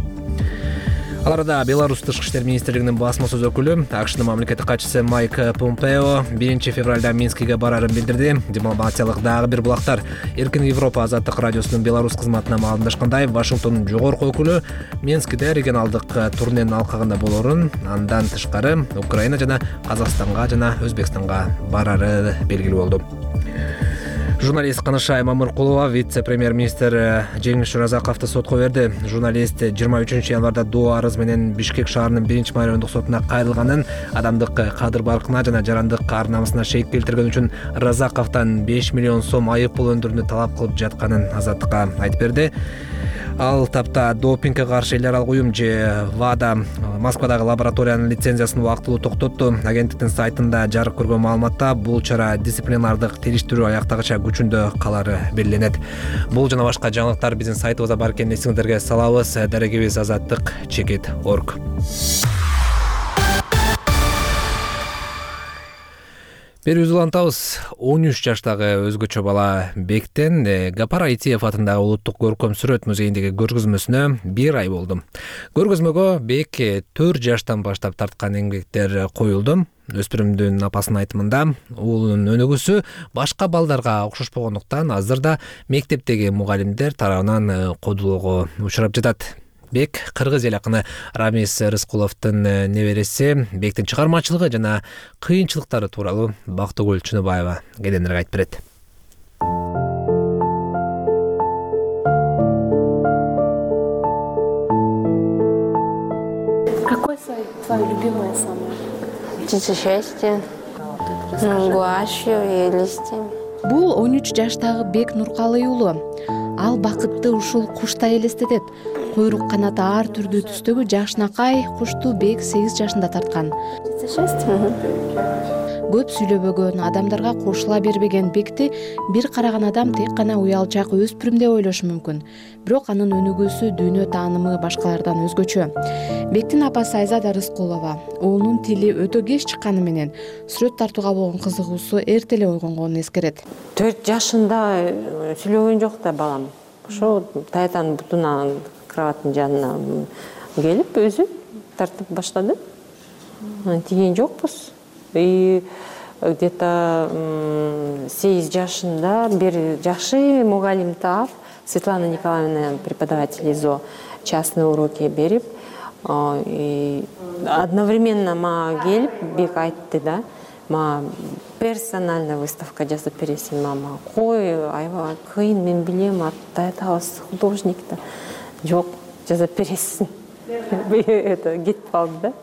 Аларда Беларусь тышкы иштер министрлигинин басма-сөз өкүлү АКШнын мамлекеттик катчысы Майк Помпео 1 февралда Минскиге барарын билдирди. Дипломатиялык дагы бир булактар. Эркин Европа азаттык радиосунун Беларусь кызматына маалымдашкандай, Вашингтондун жогорку өкүлү Минскиде регионалдык турненин алкагында болорун, андан тышкары Украина жана Казакстанга жана Өзбекстанга барары белгилүү болду. Журналист Канышай Мамыркулова вице-премьер-министр Жеңиш Шуразаковду сотко берди. Журналист 23 январда Доо арыз менен Бишкек шаарынын 1-райондук сотуна кайрылганын, адамдык кадыр баркына жана жарандык ар намысына шейик келтирген үчүн Разаковдон 5 миллион сом айып пул өндүрүүнү талап кылып жатканын Азаттыкка айтып берди. Ал тапта допингге каршы эл аралык уюм же ВАДА Москвадагы лабораториянын лицензиясын убактылуу токтотту. Агенттиктин сайтында жарык көргөн маалыматта бул чара дисциплинардык териштирүү аяктагыча күчүндө калары белгиленет. Бул жана башка жаңылыктар биздин сайтыбызда бар экенин эсиңиздерге салабыз. Дарегибиз azаттык.org. Берүүбүздү улантабыз. 13 жаштагы өзгөчө бала Бектен Гапар Айтиев атындагы улуттук көркөм сүрөт музейиндеги көргөзмөсүнө 1 ай болду. Көргөзмөгө Бек 4 жаштан баштап тарткан эмгектер коюлду. Өспүрүмдүн апасынын айтымында уулунун өнүгүүсү башка балдарга окшошпогондуктан азыр да мектептеги мугалимдер тарабынан кодулоого учурап жатат. Бек кыргыз эл акыны Рамис Рыскуловдун небереси. Бектин чыгармачылыгы жана кыйынчылыктары тууралуу Бактыгүл Чыныбаева кененирээк айтып берет. Какой твоя любимая самая? Птица счастья, гуашью и листьями. Бул 13 жаштагы Бек Нуркалый уулу. Ал бакытты ушул куштай элестетет. Куйрук канаты ар түрдүү түстөгү жакшынакай кушту Бек 8 жашында тарткан. Көп сүйлөбөгөн, адамдарга кошула бербеген Бекти бир караган адам тек гана уялчак өспүрүм деп ойлошу мүмкүн. Бирок анын өнүгүүсү, дүйнө таанымы башкалардан өзгөчө. Бектин апасы Айзада Рыскулова уулунун тили өтө кеч чыкканы менен сүрөт тартууга болгон кызыгуусу эрте эле ойгонгонун эскерет. 4 жашында сүйлөгөн жок да балам. Ошо таятанын бутуна кроваттын жанына келип өзү тартып баштады. Тиген жокпуз. И где-то 8 жашында бир жакшы мугалим таап, Светлана Николаевна, преподаватель ИЗО, частные уроки берип, и одновременно мага келип Бек айтты да, мага персональная выставка жасап бересиң мама. Кой, аябай кыйын, мен билем, таятабыз художник да. Жок, жасап бересиң. Это кетип калды да.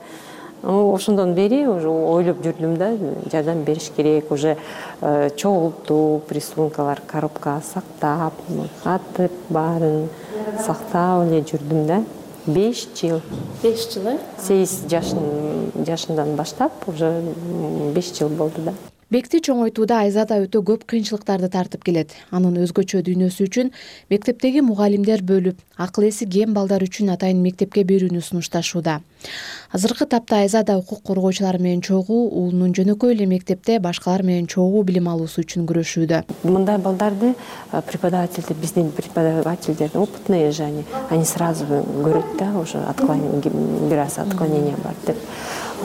Ошондон бери уже ойлоп жүрдүм да, жардам бериш керек, уже чогултуп, рисункалар коробкага сактап, катып баарын сактап эле жүрдүм да. 5 жыл. 5 жыл, э? 8 жашындан баштап уже 5 жыл болду да. Бекти чоңойтууда Айзада өтө көп кыйынчылыктарды тартып келет. Анын өзгөчө дүйнөсү үчүн мектептеги мугалимдер бөлүп, акыл эси кем балдар үчүн атайын мектепке берүүнү сунушташууда. Азыркы тапта Айзада укук коргоочулар менен чогуу, уулунун жөнөкөй эле мектепте башкалар менен чогуу билим алуусу үчүн күрөшүүдө. Мындай балдарды преподавательдер, биздин преподавательдер опытные же они сразу көрөт да, уже отклонение, бир аз отклонение бар деп.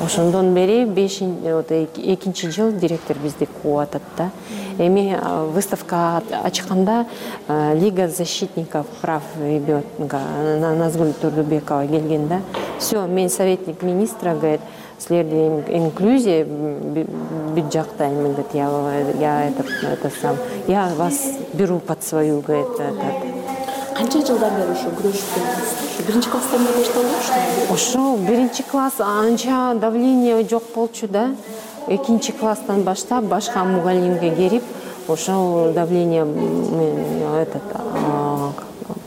Ошондон бери 2 жыл директор бизди кууп атат да. Эми выставка ачканда Лига защитников прав ребенка Назгүл Турдубекова келген да. Все, мен советник министра, говорит, силерде инклюзия бүт жактайм, говорит, я вас беру под свою, говорит, Канча жылдан бери ошо күрөшүп келесиз? Биринчи класстан бери башталды? Ошо биринчи класс анча давление жок болчу да. 2 класстан баштап башка мугалимге келип, ошо давление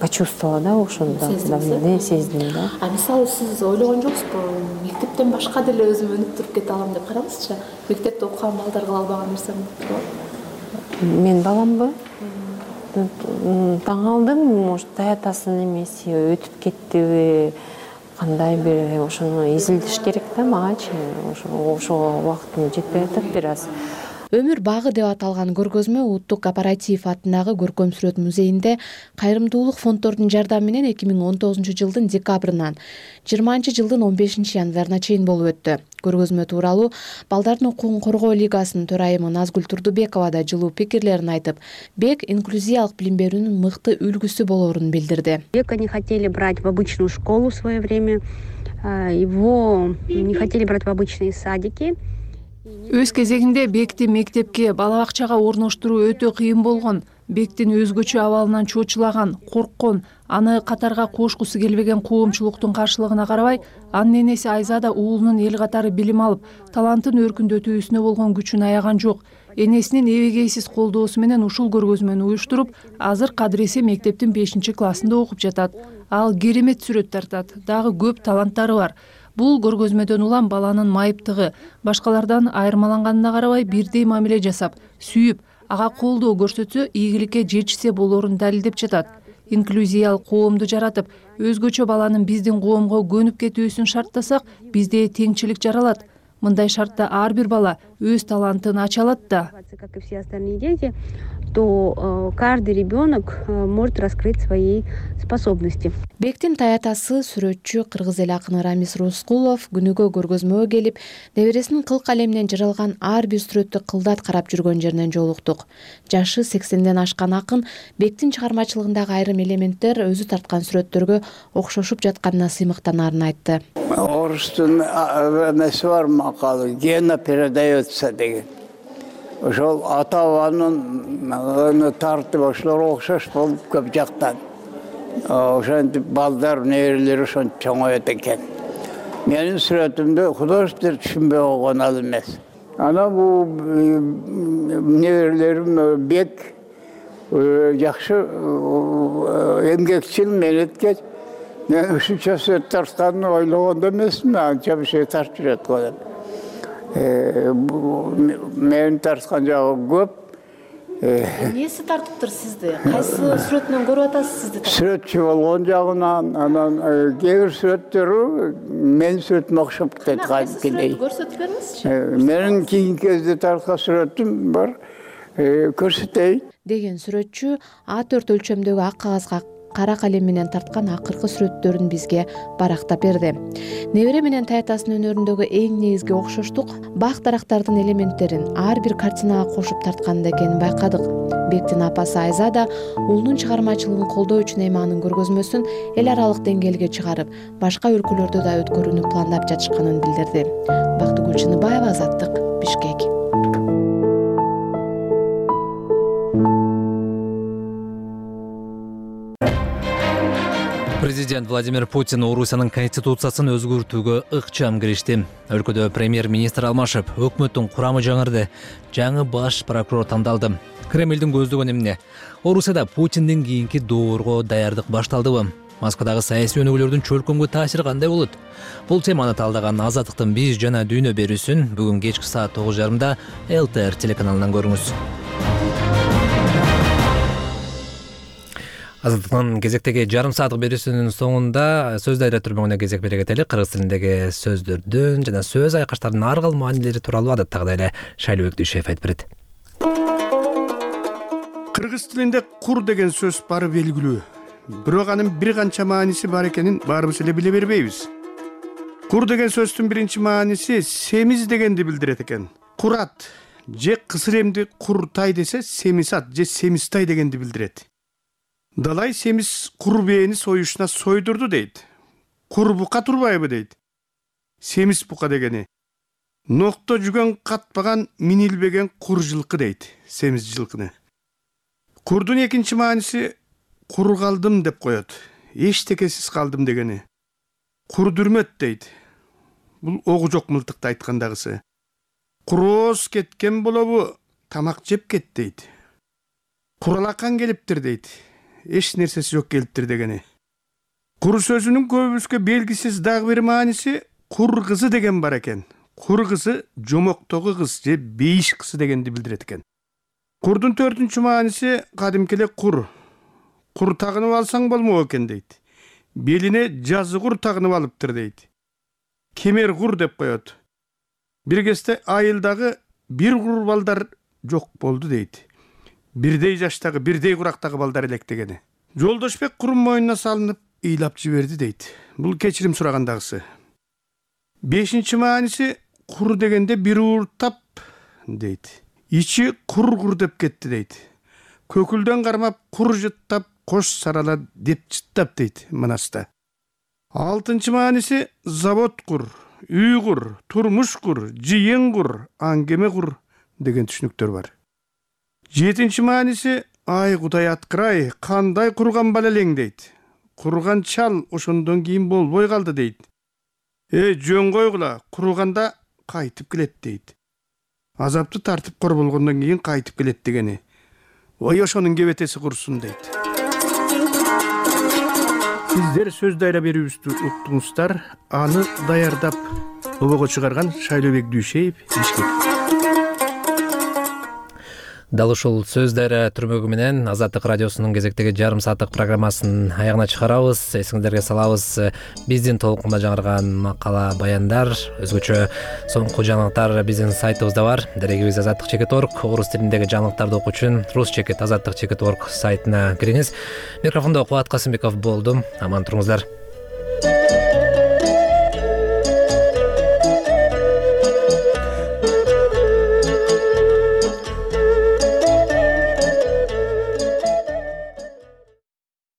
почувствовала да, ошондо давление сездим да. А мисалы сиз ойлогон жоксузбу, мектептен башка деле өзүм өнүп туруп кете алам деп караңызчы? Мектепте окуган балдар кыла албаган нерсем бар. Мен баламбы? Таң алдым, может, таятасынын эмеси өтүп кеттиби, кандай бир ошону изилдеш керек да магачы. Ошо убактым жетпей атат бир аз. Өмүр багы деп аталган көргөзмө Улуттук Апаратиев атындагы көркөм сүрөт музейинде кайрымдуулук фонддордун жардамы менен 2019 жылдын декабрынан 20 жылдын 15 январына чейин болуп өттү. Көргөзмө тууралуу Балдардын укугун коргоо лигасынын төрайымы Назгүл Турдубекова да жылуу пикирлерин айтып, Бек инклюзиялык билим берүүнүн мыкты үлгүсү болоорун билдирди. Бека не хотели брать в обычную школу в свое время, его не хотели брать в обычные садики. Өз кезегинде Бекти мектепке, бала бакчага орноштуруу өтө кыйын болгон. Бектин өзгөчө абалынан чочулаган, корккон, аны катарга кошкусу келбеген коомчулуктун каршылыгына карабай, анын энеси Айзада уулунун эл катары билим алып, талантын өркүндөтүүсүнө болгон күчүн аяган жок. энесинин эбегейсиз колдоосу менен ушул көргөзмөнү уюштуруп, азыр Кадыр-эсе мектептин 5-классында окуп жатат. Ал керемет сүрөт тартат, дагы көп таланттары бар. Бул көргөзмөдөн улам баланын майыптыгы, башкалардан айырмаланганына карабай бирдей мамиле жасап, сүйүп, ага колдоо көрсөтсө ийгиликке жетишсе болорун далилдеп жатат. Инклюзиялык коомду жаратып, өзгөчө баланын биздин коомго көнүп кетүүсүн шарттасак, бизде теңчилик жаралат. Мындай шартта ар бир бала өз талантын ача алат да. Как и все остальные дети, то каждый ребенок может раскрыть свои способности. Бектин таятасы сүрөтчү кыргыз эл акыны Рамис Роскулов күнүгө көргөзмөгө келип, небересинин кыл калеминен жаралган ар бир сүрөттү кылдат карап жүргөн жеринен жолуктук. Жашы 80ден ашкан акын Бектин чыгармачылыгындагы айрым элементтер өзү тарткан сүрөттөргө окшошуп жатканына сыймыктанаарын айтты. Орустун эмеси бар макалы, гена передается деген. Ошол ата бабанын тартып ошолор окшош болуп көп жактан. Ошентип балдар, неберелер ошентип чоңоет экен. Менин сүрөтүмдө художниктер түшүнбөй койгон ал эмес. Ана бул неберелерим бек жакшы эмгекчил, менеткеч. Мен ушунча сүрөт тартканын ойлогон эмесмин, анча бир şey тартып жүрөт го деп. Менин тарткан жагы көп. Эмнеси тартыптыр сизди? Кайсы сүрөтүнөн көрүп атасыз сизди? Сүрөтчү болгон жагынан, анан кээ бир сүрөттөрү менин сүрөтүмө окшоп кетет кадимкидей. Көрсөтүп бериңизчи. Менин кийинки кезде тарткан сүрөтүм бар. Көрсөтөйүн. Деген сүрөтчү А4 өлчөмдөгү ак кагазга кара калем менен тарткан акыркы сүрөттөрүн бизге барактап берди. Небере менен таятасынын өнөрүндөгү эң негизги окшоштук бак дарактардын элементтерин ар бир картинага кошуп тартканында экенин байкадык. Бектин апасы Айза да уулунун чыгармачылыгын колдоо үчүн эми анын көргөзмөсүн эл аралык деңгээлге чыгарып, башка өлкөлөрдө да өткөрүүнү пландап жатышканын билдирди. Бактыгүл Чыныбаева, Азаттык, Бишкек. Президент Владимир Путин Орусиянын конституциясын өзгөртүүгө ыкчам киришти. Өлкөдө премьер-министр алмашып, өкмөттүн курамы жаңырды. Жаңы баш прокурор тандалды. Кремлдин көздөгөнү эмне? Орусияда Путиндин кийинки доорго даярдык башталдыбы? Москвадагы саясий өнүгүүлөрдүн чөлкөмгө таасири кандай болот? Бул теманы талдаган Азаттыктын биз жана дүйнө берүүсүн бүгүн кечки саат 9:30 ЛТР телеканалынан көрүңүз. Азаттыктын кезектеги жарым сааттык берүүсүнүн соңунда сөз дайра түрмөгүнө кезек бере кетели. Кыргыз тилиндеги сөздөрдүн жана сөз айкаштардын ар кыл маанилери тууралуу адаттагыдай эле Шайлыбек Дүйшөев айтып берет. Кыргыз тилинде кур деген сөз бары белгилүү. Бирок анын бир канча мааниси бар экенин баарыбыз эле биле бербейбиз. Кур деген сөздүн биринчи мааниси семиз дегенди билдирет экен. Курат же кысыр эмди куртай десе семисат же семистай дегенди билдирет. Далай семиз кур бээни союшуна сойдурду дейт. Кур бука турбайбы дейт. Семиз бука дегени. Нокто жүгөн катпаган минилбеген кур жылкы дейт. Семиз жылкыны. Курдун экинчи мааниси кур калдым деп коет. Эчтекесиз калдым дегени. Кур дүрмөт дейт. Бул огу жок мылтыкты айткандагысы. Курооз кеткен болобу, тамак жеп кет дейт. Куралакан келиптир дейт. Эч нерсеси жок келиптир дегени. Кур сөзүнүн көбүбүзгө белгисиз дагы бир мааниси кур кызы деген бар экен. Кур кызы жомоктогу кыз же бейиш кызы дегенди билдирет экен. Курдун төртүнчү мааниси кадимки эле кур. Кур тагынып алсаң болмок экен дейт. Белине жазы кур тагынып алыптыр дейт. Кемер кур деп коет. Бир кезде айылдагы бир кур балдар жок болду дейт. Бирдей жаштагы, бирдей курактагы балдар элек дегени. Жолдошбек курун мойнуна салынып, ыйлап жиберди дейт. Бул кечирим сурагандагысы. Бешинчи мааниси кур дегенде бир ууртап дейт. Ичи кур деп кетти дейт. Көкүлдөн кармап кур жыттап, кош сарала деп жыттап дейт Манаста. Алтынчы мааниси завод кур, үй кур, турмуш кур, жыйын кур, аңгеме кур деген түшүнүктөр бар. Жетинчи мааниси ай Кудай аткырай, кандай курган бала элең дейт. Курган чал ошондон кийин болбой калды дейт. Жөн койгула, курганда кайтып келет дейт. азапты тартып кор болгондон кийин кайтып келет дегени. Ой ошонун кебетеси курсун дейт. Сиздер сөз дайра берүүбүздү уктуңуздар. Аны даярдап обого чыгарган Шайлообек Дүйшеев, Бишкек. Дал ушул сөз дайра түрмөгү менен Азаттык радиосунун кезектеги жарым сааттык программасын аягына чыгарабыз. Эсиңиздерге салабыз, биздин толкунда жаңырган макала, баяндар, өзгөчө соңку жаңылыктар биздин сайтыбызда бар. Дарегибиз azattik.org. Орус тилиндеги жаңылыктарды окуу үчүн ruscha.azattik.org сайтына кириңиз. Микрофондо Кубат Касымбеков болдум. Аман туруңуздар.